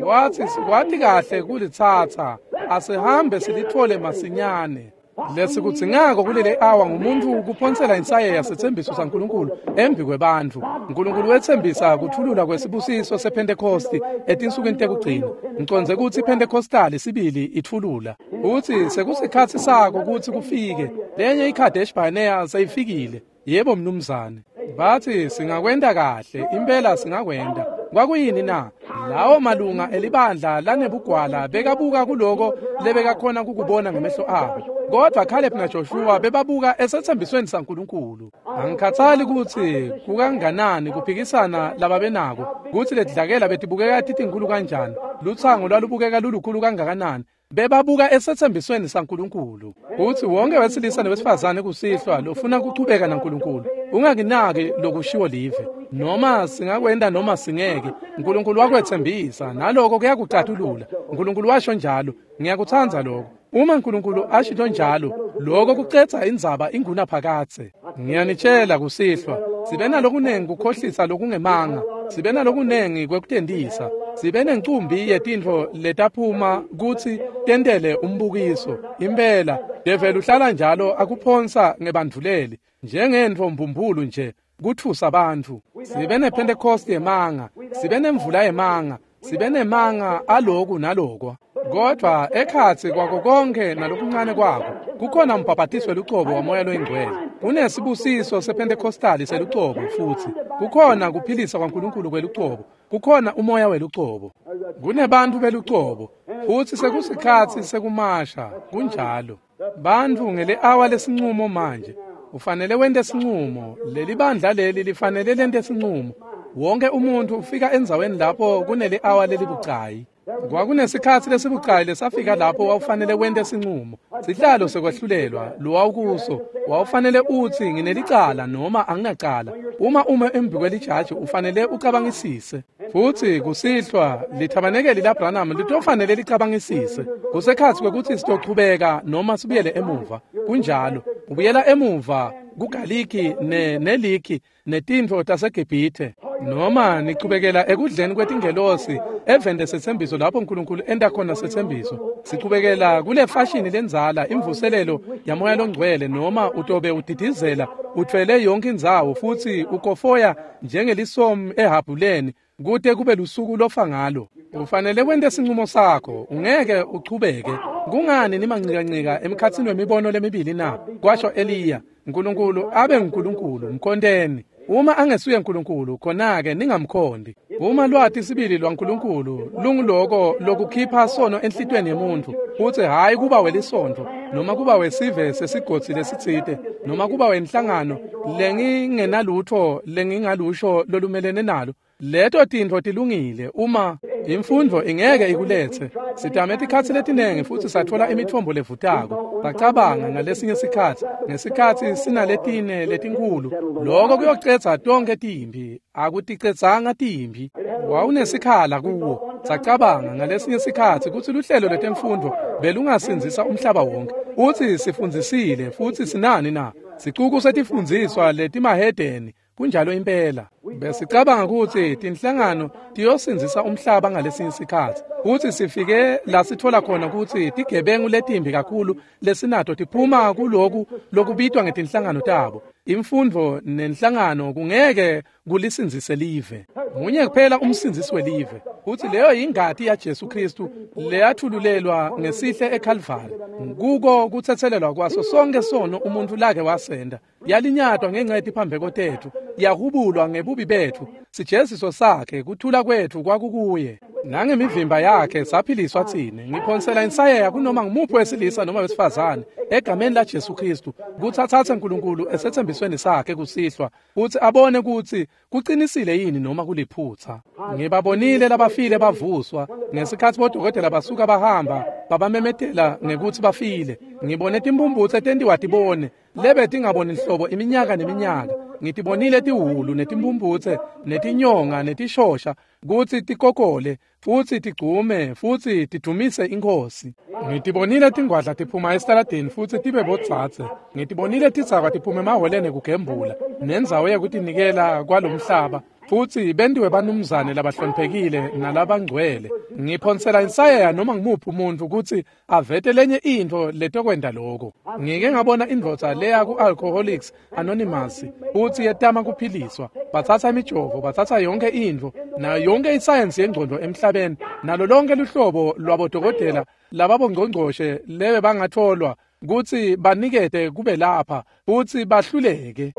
A: Wathi, "Sikwati kahle kulitsatsa, asihambe silitfole masinyane." Lesikudzingako kulele awa ngumuntu kuphonsela insayeya setsembiso saNkulunkulu embi kwebantfu. Nkulunkulu wetsembisa kuthulula kwesibusiso sePhentekosti etinsukwini tekugcina. Ngicondze kutsi iPhentekostali sibili itfulula. Utsi sekusikhatsi sako kutsi kufike. Lenye iKhadesh Barnea seyifikile. Yebo mnumzane. Bathi singakwenta kahle, impela singakwenta. Kwakuyini na? Lawo malunga elibandla lanebugwala bekabuka kuloko lebekakhona kukubona ngemehlo abo. Kodwa Caleb naJoshua bebabuka esethembisweni saNkulunkulu. Angikhathali kutsi kukanganani kuphikisana lababenako, kutsi ledlakela betibukeka titinkulu kanjani, lutsango lwalubukeka lulukhulu kangakanani. Bebabuka esethembisweni saNkulunkulu. Kutsi wonke wesilisa newesifazane kusihlwa lofuna kuchubeka naNkulunkulu, ungakinaki lokushiwo live. Noma singakwenda noma singeke, Nkulunkulu wakwetsembisa, naloko kuyakucatulula. Nkulunkulu washo njalo, ngiyakutsandza lokho. Uma Nkulunkulu ashito njalo, lokho kucedza indzaba ingunaphakadze. Ngiyanitshela kusihlwa, sibe nalokunengi kukhohlisa lokungemanga, sibe nalokunengi kwekutentisa, sibe nencumbi yetintfo letaphuma kutsi tentele umbukiso. Impela, develi uhlala njalo akuphonsa ngebandvuleli, njengentfo mbumbulu nje, kutfusa bantfu. Sibe nePhentekosti yemanga, sibe nemvula yemanga, sibe nemanga aloku nalokwa. Kodwa ekhatsi kwako konke nalokuncane kwako kukhona umbhabhatiso welucobo waMoya loyiNgcwele. Kunesibusiso sePhentekostali selucobo futsi kukhona kuphilisa kwaNkulunkulu kwelucobo, kukhona umoya welucobo, kunebantfu belucobo, futsi sekusikhatsi sekumasha. Kunjalo. Bantfu ngele awa lesincumo manje. Ufanele wente sincumo. Leli bandla leli lifanele lente sincumo. Wonke umuntfu ufika endzaweni lapho kunele awa lelibucayi. Kwakunesikhatsi lesibucayi lesafika lapho wawufanele wente sincumo. Sihlalo sekwehlulelwa lowawukuso, wawufanele utsi nginelicala noma anginacala. Uma ume embi kwelijaji ufanele ucabangisise. Futsi kusihlwa lithabanekeli laBranham litofanele licabangisise. Kusekhatsi kwekutsi sitochubeka noma sibuyele emuva. Kunjalo. Ubuyela emuva kugaliki ne neliki netintfo taseGibhithe, noma nichubekela ekudleni kwetingelosi eveni lesetsembiso lapho uNkulunkulu enta khona setsembiso. Sichubekela kule fashini lendzala imvuselelo yaMoya loNgcwele, noma utobe udidizela uthwele yonke indzawo futsi ukofoya njengelisomi ehabhuleni kute kube lusuku lofa ngalo. Ufanele wente sincumo sakho, ungeke uchubeke. Kungani nimancikancika emkhatsini wemibono lemibili na? Kwasho Eliya. Nkulunkulu abe nguNkulunkulu, mkhonteni. Uma angesuye uNkulunkulu, khona-ke ningamkhondi. Uma lwati sibili lwaNkulunkulu lunguloko lokukhipha sono enhlitiyweni yemuntfu, futsi hhayi kuba welisontfo noma kuba wesive sesigodzi lesitsite noma kuba wenhlangano lengingenalutfo lengingalusho lolumelene nalo, Leto tintfo tilungile uma imfundvo ingeke ikuletse. Sitame tikhatsi letinengi futsi satfola imitfombo levutako. Sacabanga ngalesinye sikhatsi, ngesikhatsi sinaletine letinkhulu, loko kuyocedza tonkhe timphi. Akuticedzanga timphi. Wawunesikhala kuwo. Sacabanga ngalesinye sikhatsi kutsi luhlelo lwetemfundvo belungasindzisa umhlaba wonke. Utsi sifundzisile futsi sinani na? Sicuku setifundziswa letimahedeni. Kunjalo impela. Besicabanga kutsi tinhlangano tiyosindzisa umhlaba ngalesinye sikhatsi. Kutsi sifike la sitfola khona kutsi tigebengu letimbi kakhulu lesinato tiphuma kuloku lokubitwa ngetinhlangano tabo. Imfundvo nenhlangano kungeke kulisindzise live. Munye kuphela umsindzisi welive. Kutsi leyo yingati yaJesu Kristu leyathululelwa ngesihle eKalvari. Kuko kutsetselelwa kwaso sonke sono umuntu lake wasenda. Yalinyatwa ngenxa yetiphambeko tetfu, yahubulwa ngebubi betfu. Sijeziso sakhe kuthula kwetfu kwakukuye. Nangemivimba yakhe saphiliswa tsine. Ngiphonsela insayeya kunoma ngumuphi wesilisa noma wesifazane egameni laJesu Kristu kutsi atsatse Nkulunkulu esetsembisweni sakhe kusihlwa kutsi abone kutsi kucinisile yini noma kuliphutsa. Ngibabonile labafile bavuswa ngesikhatsi bodokotela basuka bahamba babamemetela ngekutsi bafile. Ngibone timphumphutse tentiwa tibone lebe tingaboni nhlobo iminyaka neminyaka. Ngitibonile tiwulu netimphumphutse netinyonga netishosha kutsi tikokole futsi tigcume futsi tidumise iNkhosi. Ngitibonile tingwadla tiphuma esitaladini futsi tibe bodzadze. Ngitibonile tidzakwa tiphuma emahholeni kugembula nendzawo yekutinikela kwalomhlaba futsi bentiwe banumzane labahloniphekile nalabangcwele. Ngiphonsela insayeya noma ngumuphi umuntfu kutsi avete lenye intfo letokwenta loko. Ngike ngabona indvodza leya ku-Alcoholics Anonymous futsi yetama kuphiliswa. Batsatsa imijovo, batsatsa yonke intfo nayo yonke isayensi yengcondvo emhlabeni nalo lonke luhlobo lwabodokotela lababongcongcoshe lebe bangatfolwa kutsi banikete kube lapha futsi bahluleke.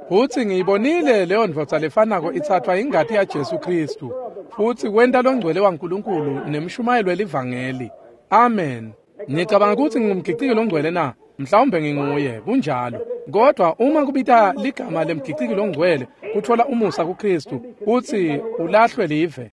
A: Futsi ngiyibonile leyo ndvodza lefanako itsatswa ingati yaJesu Kristu futsi kwenta longcwele waNkulunkulu nemshumayelo welivangeli. Amen. Ngicabanga kutsi ngingumgiciki longcwele na? Mhlawumbe nginguye, kunjalo. Kodwa uma kubita ligama lemgiciki longcwele kutfola umusa kuKristu futsi ulahlwe live,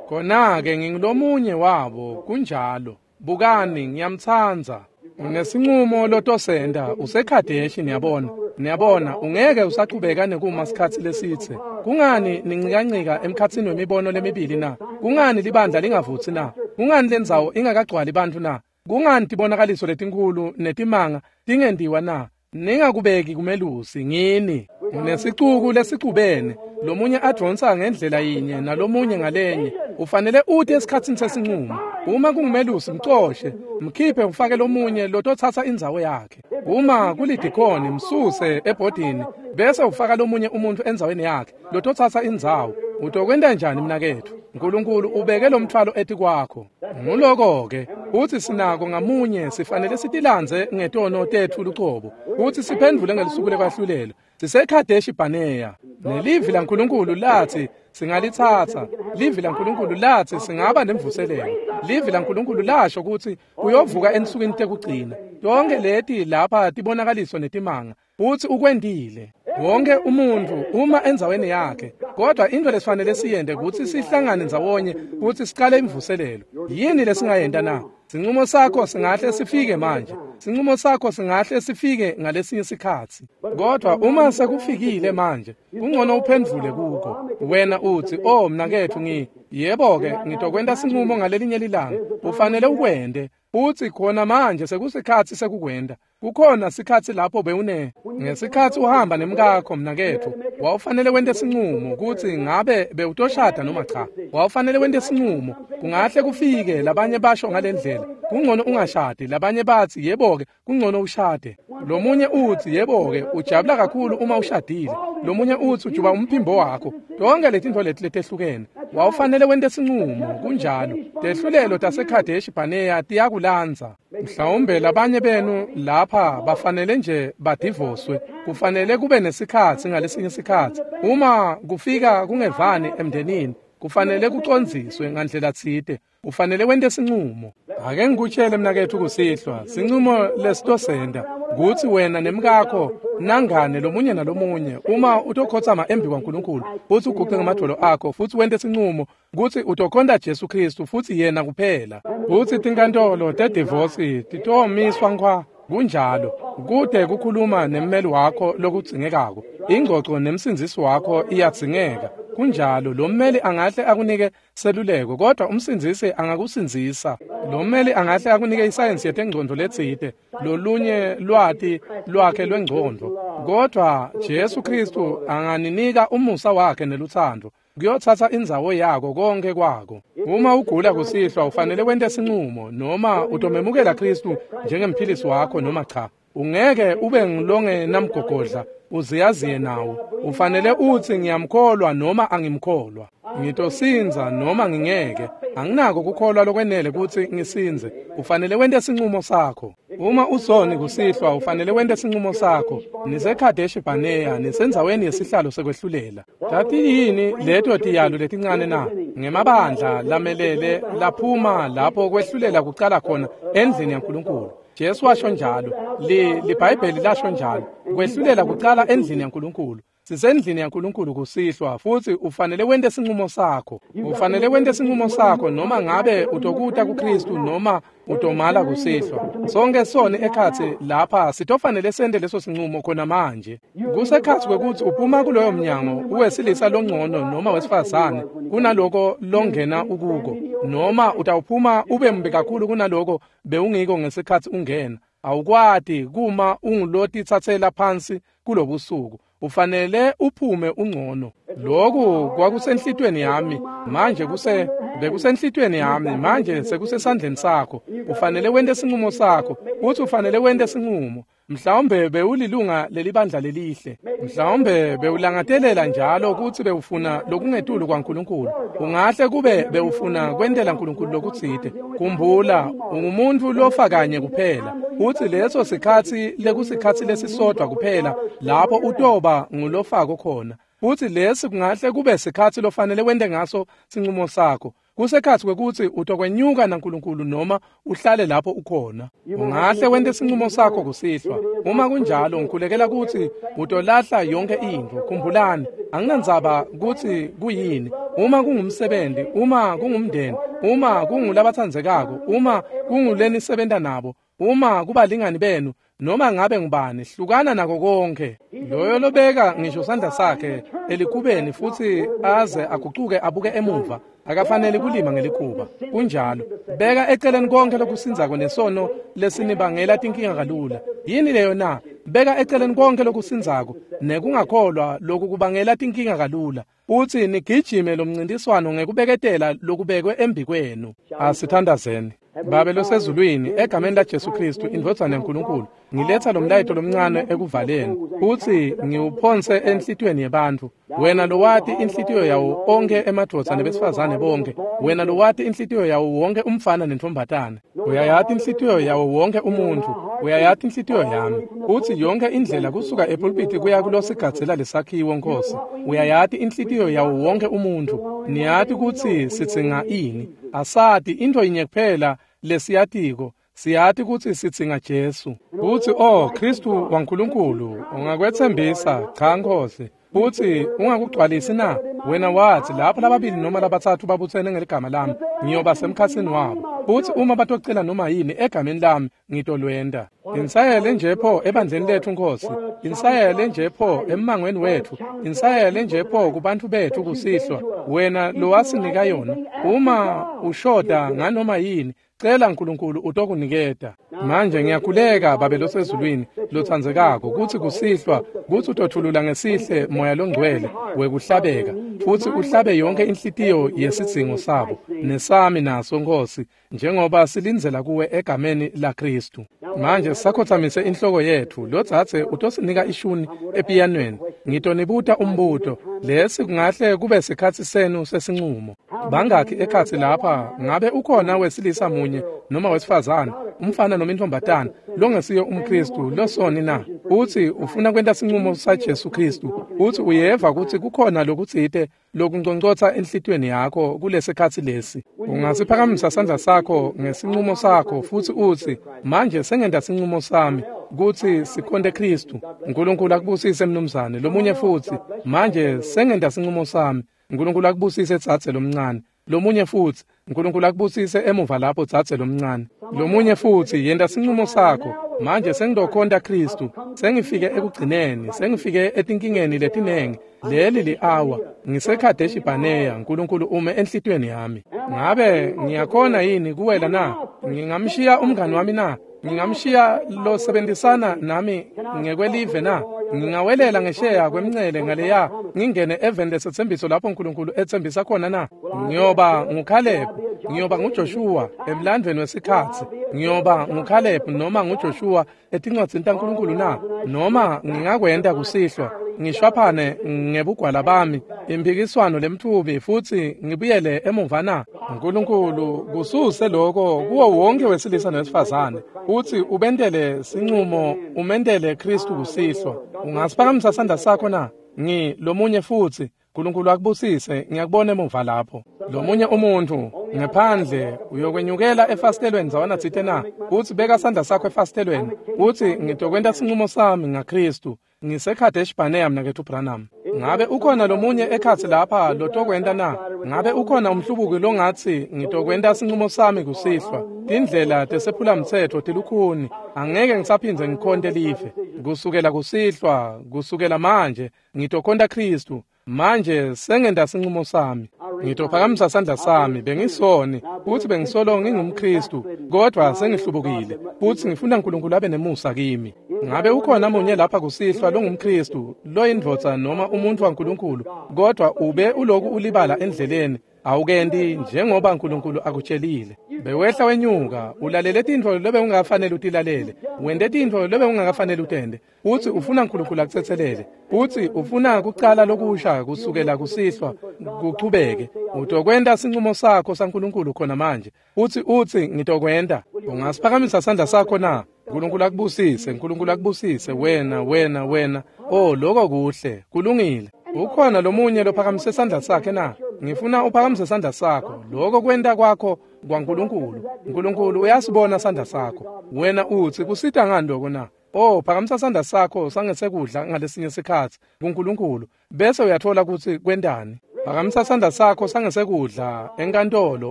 A: khona-ke ngingulomunye wabo, kunjalo. Bukani, ngiyamtsandza. Unesinqumo lotosenda useKhadeshi. Niyabona, niyabona ungeke usachubeka nekuma sikhatsi lesitse. Kungani nincikancika emkhatsini wemibono lemibili na? Kungani libandla lingavutsi na? Kungani lendzawo ingakagcwali bantfu na? Kungani tibonakaliso letinkhulu netimanga tingentiwa na? Ningakubeki kumelusi ngini. Unesicuku lesicubene, lomunye advonsa ngendlela yinye nalomunye ngalenye. Ufanele ute esikhatsini sesinqumo. Uma kungumelusi mcoshe, mkhiphe ufake lomunye lototsatsa indzawo yakhe. Uma kulidikhoni msuse ebhodini bese ufaka lomunye umuntu endzaweni yakhe lototsatsa indzawo. Utokwenta njani mnaketfu? Nkulunkulu ubeke lomthwalo etikwakho. Nguloko-ke utsi sinako ngamunye sifanele sitilandze ngetono tetfu lucobo utsi siphendvule ngelusuku lekwahlulelwa. SiseKhadeshi Bhaneya. Nelivi laNkulunkulu latsi singalitsatsa. Livi laNkulunkulu latsi singaba nemvuselelo. Livi laNkulunkulu lasho kutsi uyovuka ensukwini tekugcina. Tonke leti lapha tibonakaliso netimanga futsi ukwentile. Wonke umuntfu uma endzaweni yakhe. Kodwa intfo lesifanele siyente kutsi sihlangane ndzawonye futsi sicale imvuselelo. Yini lesingayenta na? Sinqumo sakho singahle sifike manje. Sinqumo sakho singahle sifike ngalesinye sikhatsi. Kodwa uma sekufikile manje, kungcono uphendvule kuko. Wena utsi, "Oh mnaketfu ngi yebo-ke ngitokwenta sinqumo ngalelinye lilanga." Ufanele ukwente. Utsi khona manje sekusikhatsi sekukwenta. Kukhona sikhatsi lapho bewune ngesikhatsi uhamba nemkakho mnaketfu, wawufanele wente sinqumo kutsi ngabe bewutoshada noma cha. Wawufanele wente sinqumo. Kungahle kufike labanye basho ngalendlela, kungcono ungashadi. Labanye batsi yebo-ke kungcono ushade. Lomunye utsi yebo-ke ujabula kakhulu uma ushadile. Lomunye utsi ujuba umphimbo wakho. Tonke letintfo leti letehlukene. Wawufanele wente sinqumo, kunjalo. Tehlulelo taseKhadeshi Bhaneya tiyakulandza. Mhlawumbe labanye benu lapha bafanele nje badivoswe. Kufanele kube nesikhatsi ngalesinye sikhatsi. Uma kufika kungevani emndenini, Kufanele kucondziswe ngandlela tsite. Ufanele wente sincumo. Ake ngikutshele mnaketfu kusihlwa, sincumo lesitosenta kutsi wena nemkakho nangane lomunye nalomunye uma utokhotsama embi kwaNkulunkulu futsi uguce ngemadvolo akho futsi wente sincumo kutsi utokhonta Jesu Kristu futsi yena kuphela. Kutsi tinkantolo tedivosi titomiswa nkhwa. Kunjalo, kude kukhuluma nemmeli wakho lokudzingekako. Ingcoco nemsindzisi wakho iyadzingeka. Kunjalo, lo mmeli angahle akunike seluleko, kodwa umsindzisi angakusindzisa. Lo mmeli angahle akunike isayensi yetengcondvo letsite, lolunye lwati lwakhe lwengcondvo. Kodwa Jesu Kristu anganinika umusa wakhe nelutsandvo. Kuyotsatsa indzawo yako konke kwako. Uma ugula kusihlwa ufanele wente sincumo noma utomemukela Kristu njengemphilisi wakho noma cha. Ungeke ube ngilongenamgogodla uziyaziye nawo. Ufanele utsi ngiyamkholwa noma angimkholwa. Ngitosindza noma ngingeke. Anginako kukholwa lokwenele kutsi ngisindze. Ufanele wente sincumo sakho. Uma usoni kusihlwa ufanele wente sincumo sakho. NiseKadeshi Barnea, nisendzaweni yesihlalo sekwehlulela. Tati yini leto tiyalo letincane na? Ngemabandla lamelele laphuma lapho kwehlulela kucala khona endlini yaNkulunkulu. Jesu washo njalo, li liBhayibheli lasho njalo, kwehlulela kucala endlini yaNkulunkulu. Sisendlini yaNkulunkulu kusihlwa futsi ufanele wente sincumo sakho. Ufanele wente sincumo sakho noma ngabe utokuta kuKristu noma utomala kusihlwa. Sonke soni ekhatsi lapha sitofanele sente leso sincumo khona manje. Kusekhatsi kwekutsi uphuma kuloyo mnyango uwesilisa longcono noma wesifazane kunaloko longena ukuko, noma utawuphuma ube mbi kakhulu kunaloko bewungiko ngesikhatsi ungena. Awukwati kuma ungulotitsatsela phansi kulobusuku. Ufanele uphume ungcono. Lokhu kwakusenhlitweni yami manje kuse bekusenhlitweni yami manje sekusesandleni sakho. Ufanele wente sincumo sakho. Uthi ufanele wente sincumo. Mhlawumbe bewulilunga lelibandla lelihle. Mhlawumbe bewulangatelela njalo kutsi bewufuna lokungetulu kwaNkulunkulu. Ungahle kube bewufuna kwentela uNkulunkulu lokutsite. Khumbula, ungumuntu lofa kanye kuphela. Uthi leso sikhatsi lekusikhatsi lesisodwa kuphela lapho utoba ngulofako khona. Uthi lesi kungahle kube sikhatsi lofanele wente ngaso sincumo sakho. Kusekhatsi kwekutsi utokwenyuka naNkulunkulu noma uhlale lapho ukhona. Ungahle wente sincumo sakho kusihlwa. Uma kunjalo ngikhulekela kutsi utolahla yonke intfo. Khumbulani, anginandzaba kutsi kuyini. Uma kungumsebenzi, uma kungumndeni, uma kungulabatsandzekako, uma kungulenisebenta nabo, uma kubalingani benu, noma ngabe ngubani, hlukana nako konke. Loyo lobeka ngisho sandla sakhe elikubeni futsi aze agucuke abuke emuva akafanele kulima ngelikhuba. Kunjalo, beka eceleni konke lokusindzako nesono lesinibangela tinkinga kalula. Yini leyo na? Beka eceleni konke lokusindzako nekungakholwa lokukubangela tinkinga kalula. Uthi nigijime lomncintiswano ngekubeketela lokubekwe embikwenu. Asithandazeni. Babe losezulwini, egameni la Jesu Kristu indvodzana yaNkulunkulu, ngiletha lo mlayeto lomncane ekuvaleni uthi ngiwuphonse enhlitiyweni yebantfu. Wena lowati inhlitiyo yawo onke emadvodza nebesifazane bonke, wena lowati inhlitiyo yawo wonke umfana nentombatana, uyayati inhlitiyo yawo wonke umuntfu, uyayati inhlitiyo yami. Uthi yonke indlela kusuka epulpiti kuya kulosigadzela lesakhiwo Nkosi, uyayati inhlitiyo yawo wonke umuntfu. Niyati kutsi sidzinga ini. Asati intfo yinye kuphela lesiyatiko, siyati kutsi sidzinga Jesu. Kutsi oh Kristu waNkulunkulu ungakwetsembisa cha Nkosi, futsi ungakugcwalisi na? Wena wathi lapho lababili noma labatsatfu babutsene ngeligama lami ngiyoba semkhatsini wabo, futsi uma batocela noma yini egameni lami ngitolwenta. Insayele nje pho ebandleni letfu Nkosi, insayele nje pho emmangweni wetfu, insayele nje pho kubantfu betfu kusihlwa, wena lowasinika yona. Uma ushoda nganoma yini, cela uNkulunkulu utokuniketa. Manje ngiyakhuleka Babe losezulwini lotsandzekako kutsi kusihlwa kutsi utothulula ngesihle moya longcwele wekuhlabeka futsi uhlabe yonke inhlitiyo yesidzingo sabo nesami naso Nkosi, njengoba silindzela kuwe egameni la Kristu. Manje sakhotsamise inhloko yetfu, lodzadze utosinika ishuni epiyanweni. Ngitonibuta umbuto, lesi kungahle kube sikhatsi senu sesincumo. Bangakhi ekhatsi lapha ngabe ukhona wesilisa munye noma wesifazane Umfana noma intombatana longesiyo umKristu losoni na? Uthi ufuna kwenta sinqumo saJesu Kristu. Uthi uyeva ukuthi kukhona lokutsite lokunconcotsa enhlitiyweni yakho kulesikhatsi lesi. Ungasiphakamisa sandla sakho ngesinqumo sakho futhi uthi manje sengenta sinqumo sami kutsi sikhonte Kristu. uNkulunkulu akubusise mnumzane. Lomunye futhi, manje sengenta sinqumo sami. uNkulunkulu akubusise dzadze lomncane. Lomunye futhi, uNkulunkulu akubusise emuva lapho dzadze lomncane. Lomunye futhi, yenta sinqumo sakho. Manje sengidokhonta Kristu. Sengifike ekugcineni, sengifike etinkingeni letinengi. Leli li-awa ngiseKhadeshi Barnea. uNkulunkulu ume enhlitiyweni yami. Ngabe ngiyakhona yini kuwela na? Ngingamshiya umngani wami na? Ngingamshiya losebenzisana nami ngekwelive na? Ngingawelela ngesheya kwemncele ngaleya ngingene eveni lesethembiso lapho uNkulunkulu ethembisa khona na? Ngiyoba nguCaleb, ngiyoba nguJoshua emlandweni wesikhatsi. Ngiyoba nguCaleb noma nguJoshua etincwadzini taNkulunkulu na? Noma ngingakwenta kusihlwa ngishwaphane ngebugwala bami impikiswano lemthubi futhi ngibuyele emuva na? uNkulunkulu kususe lokho kuwo wonke wesilisa nowesifazane. Uthi ubentele sinqumo, umentele Kristu kusihlwa. Ungasiphakamisa sandla sakho na? Ngi lomunye futhi. uNkulunkulu akubusise. Ngiyakubona emuva lapho. Lomunye umuntu ngephandle uyokwenyukela efasitelweni ndzawana tsite na? Uthi beka sandla sakho efasitelweni. Uthi ngitokwenta sinqumo sami ngaKristu. NgiseKhadeshi Barnea mnaketfu Branham. Ngabe ukhona lomunye ekhatsi lapha lotokwenta na? Ngabe ukhona umhlubuki longatsi ngitokwenta sinqumo sami kusihlwa? Tindlela tesephulamtsetfo tilukhuni. Angeke ngisaphindze ngikhonte live. Kusukela kusihlwa, kusukela manje ngitokhonta Kristu. Manje sengenta sinqumo sami. Ngitophakamisa sandla sami. Bengisoni futhi bengisolo ngingumKristu, kodwa sengihlubukile futhi ngifuna uNkulunkulu abe nemusa kimi. Ngabe ukhona munye lapha kusihlwa longumKristu, loyindvodza noma umuntu waNkulunkulu, kodwa ube uloku ulibala endleleni, awukendi njengoba uNkulunkulu akutshelile? Bewehla wenyuka, ulalele tintfo lobe ungafanele utilalele, wente tintfo lobe ungakafanele utende. Uthi ufuna uNkulunkulu akutsetselele. Uthi ufuna kucala lokusha kusukela kusihlwa kuchubeke. Utokwenta sinqumo sakho saNkulunkulu khona manje. Uthi uthi ngitokwenta. Ungasiphakamisa sandla sakho na? uNkulunkulu akubusise, uNkulunkulu akubusise wena, wena, wena. Oh, lokho kuhle, kulungile. Ukhona lomunye lophakamise sandla sakhe na? Ngifuna uphakamise sandla sakho. Lokho kwenta kwakho kwaNkulunkulu. uNkulunkulu uyasibona sandla sakho. Wena uthi kusita ngani lokho na? Oh, phakamisa sandla sakho sangesekudla ngalesinye sikhatsi kuNkulunkulu, bese uyathola ukuthi kwentani. Phakamisa sandla sakho sangesekudla enkantolo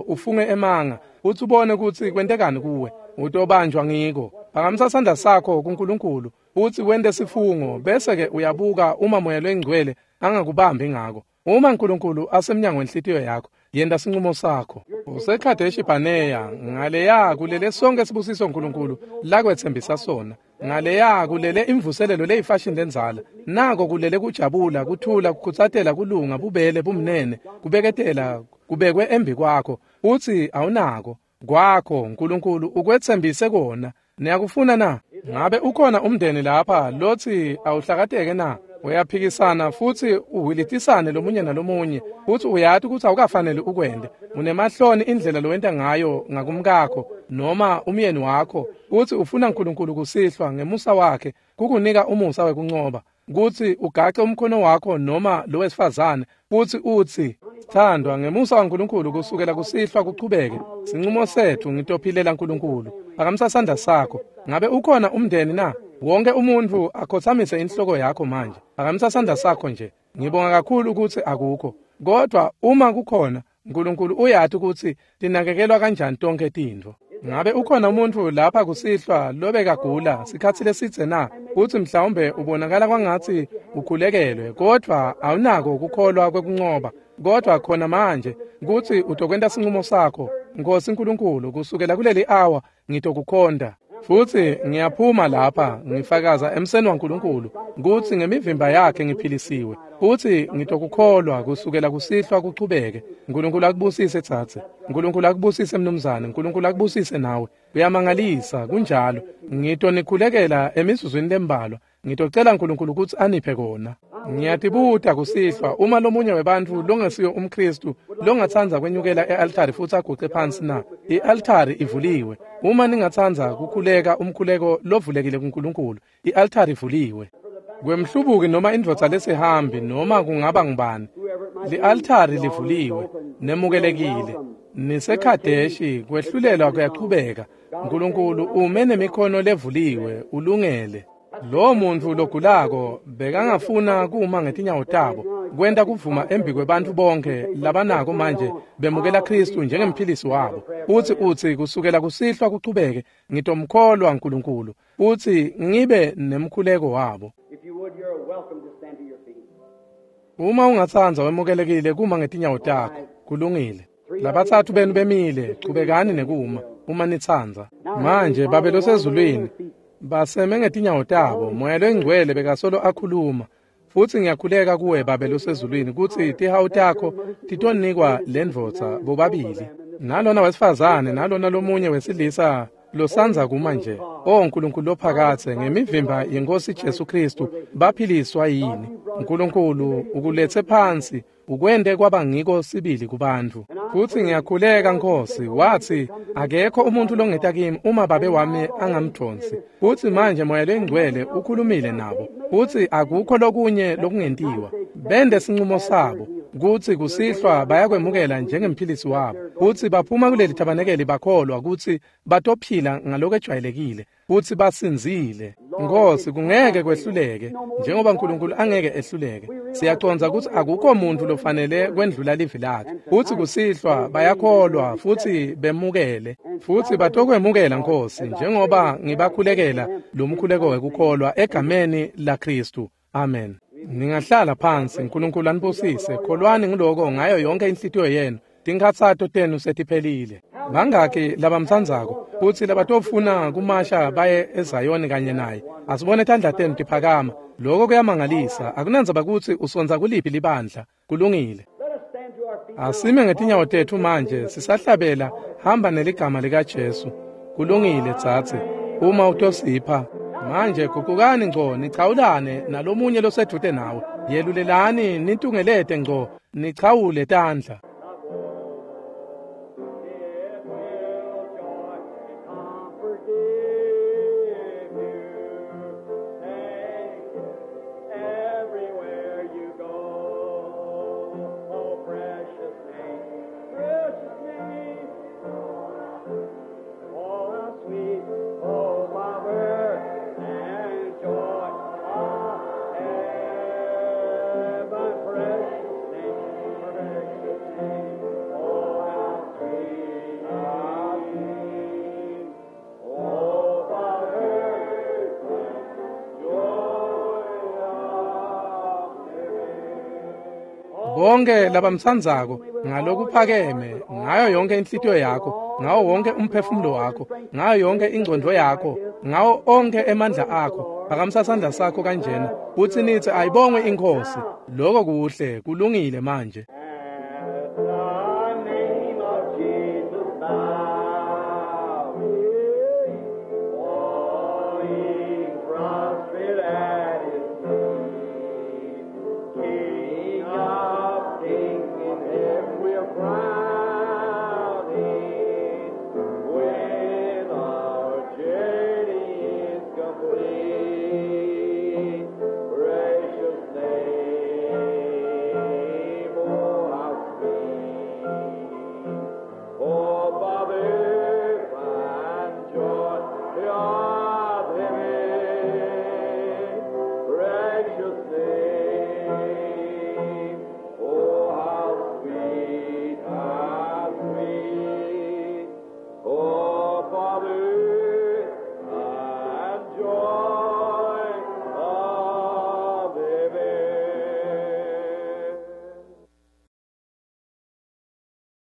A: ufunge emanga, uthi ubone ukuthi kwentekani kuwe. Utobanjwa ngiko. Phakamisa sandla sakho kuNkulunkulu, uthi wente sifungo, bese ke uyabuka uma Moya loyiNgcwele angakubambi ngako. Uma uNkulunkulu asemnyango wenhlitiyo yakho, yenta sinqumo sakho. UseKhadeshi Barnea, ngaleya kulele sonke sibusiso uNkulunkulu lakwetsembisa sona. Ngaleya kulele imvuselelo leyifashini lenzala. Nako kulele kujabula, kuthula, kukhutsatela, kulunga, bubele, bumnene, kubeketela, kubekwe embi kwakho. Uthi awunako kwakho, uNkulunkulu ukwetsembise kona. Niyakufuna na? Ngabe ukhona umndeni lapha lothi awuhlakateke na? Uyaphikisana futhi uhilitisane lomunye nalomunye, futhi uyati ukuthi awukafanele ukwende. Unemahloni indlela lowenta ngayo ngakumkakho noma umyeni wakho. Uthi ufuna uNkulunkulu kusihlwa ngemusa wakhe kukunika umusa wekuncoba, kuthi ugace umkhono wakho noma lowesifazane futhi uthi sithandwa, ngemusa waNkulunkulu kusukela kusihlwa kuchubeke sinqumo sethu, ngitophilela uNkulunkulu. Phakamisa sandla sakho. Ngabe ukhona umndeni na? Wonke umuntu akhothamise inhloko yakho manje. Phakamisa sandla sakho nje. Ngibonga kakhulu ukuthi akukho, kodwa uma kukhona, uNkulunkulu uyati ukuthi tinakekelwa kanjani tonke tintfo. Ngabe ukhona umuntu lapha kusihlwa lobekagula sikhatsi lesidze na? Uthi mhlawumbe ubonakala kwangatsi ukhulekelwe, kodwa awunako ukukholwa kwekuncoba. Kodwa khona manje kutsi utokwenta sinqumo sakho. Nkosi uNkulunkulu, kusukela kuleli hour ngitokukhonta. Futhi ngiyaphuma lapha ngifakaza emseni waNkulunkulu kutsi ngemivimba yakhe ngiphilisiwe. Futhi ngitokukholwa kusukela kusihlwa kuchubeke. uNkulunkulu akubusise tsatse. uNkulunkulu akubusise mnumzane. uNkulunkulu akubusise nawe. Kuyamangalisa kunjalo. Ngitonikhulekela emizuzwini lembalwa. Ngitocela uNkulunkulu kutsi aniphe kona. Ngiyatibuta kusihlwa uma lomunye webantfu longesiyo umKristu longatsandza kwenyukela e-altari futhi aguce phansi na? I-altari ivuliwe. Uma ningatsandza kukhuleka umkhuleko lovulekile kuNkulunkulu, i-altari ivuliwe. Kwemhlubuki noma indvodza lesihambi noma kungaba ngubani, li-altari livuliwe, nemukelekile. Nisekhadeshi, kwehlulelwa kuyachubeka. Nkulunkulu ume nemikhono levuliwe, ulungele. Lowo muntfu logulako bekangafuna kuma ngetinyawo tabo, kwenta kuvuma embi kwebantfu bonke labanako manje bemukela Khristu njengemphilisi wabo. Utsi utsi kusukela kusihlwa kuchubeke, ngitomkholwa Nkulunkulu, utsi ngibe nemkhuleko wabo. Uma ungatsandza wemukelekile kuma ngetinyawo takho, kulungile. Labatsatfu benu bemile, chubekani nekuma uma nitsandza. Manje Babe losezulwini, baseme ngetinyawo tabo, Moya loyiNgcwele bekasolo akhuluma. Futsi ngiyakhuleka kuwe Babe losezulwini kutsi tihawu takho titonikwa lendvodza bobabili, nalona wesifazane nalona lomunye wesilisa losandza kuma nje. O Nkulunkulu lophakathe, ngemivimba yeNkosi Jesu Kristu baphiliswa yini? Nkulunkulu ukuletse phansi, ukwente kwaba ngiko sibili kubantfu. Futsi ngiyakhuleka Nkosi, watsi akekho umuntu longeta kimi uma Babe wami angamdonsi. Futsi manje Moya loyiNgcwele ukhulumile nabo, futsi akukho lokunye lokungentiwa. Bende sinqumo sabo kutsi kusihlwa bayakwemukela njengemphilisi wabo, futsi baphuma kuleli thabanekeli bakholwa kutsi batophila ngalokwejwayelekile, futsi basindzile. Nkosi, kungeke kwehluleke, njengoba Nkulunkulu angeke ehluleke. Siyacondza kutsi akukho muntu lofanele kwendlula livi lakhe. Futsi kusihlwa bayakholwa futsi bemukele, futsi batokwemukela Nkosi, njengoba ngibakhulekela lo mkhuleko wekukholwa egameni la Khristu. Amen. Ningahlala phansi. Nkulunkulu anibusise. Kholwani ngiloko ngayo yonke inhlitiyo yenu. Tinkhatsato tenu setiphelile. Bangaki labamtsandzako futsi labatofuna kumasha baye eZayoni kanye naye? Asibone tandla tenu tiphakama. Lokho kuyamangalisa. Akunandzaba kutsi usondza kuliphi libandla. Kulungile. Asime ngetinyawo tetfu manje sisahlabela hamba neligama likaJesu. Kulungile dzadze, uma utosipha. Manje guqukani ngco, nichawulane nalomunye losedvute nawe. Yelulelani nitungelete ngco, nichawule tandla. Bonke labamtsandzako ngalokuphakeme, ngayo yonke inhlitiyo yakho, ngawo wonke umphefumulo wakho, ngayo yonke ingcondvo yakho, ngawo onke emandla akho, phakamisa sandla sakho kanjena, futsi nitsi ayibongwe iNkhosi. Lokho kuhle, kulungile manje.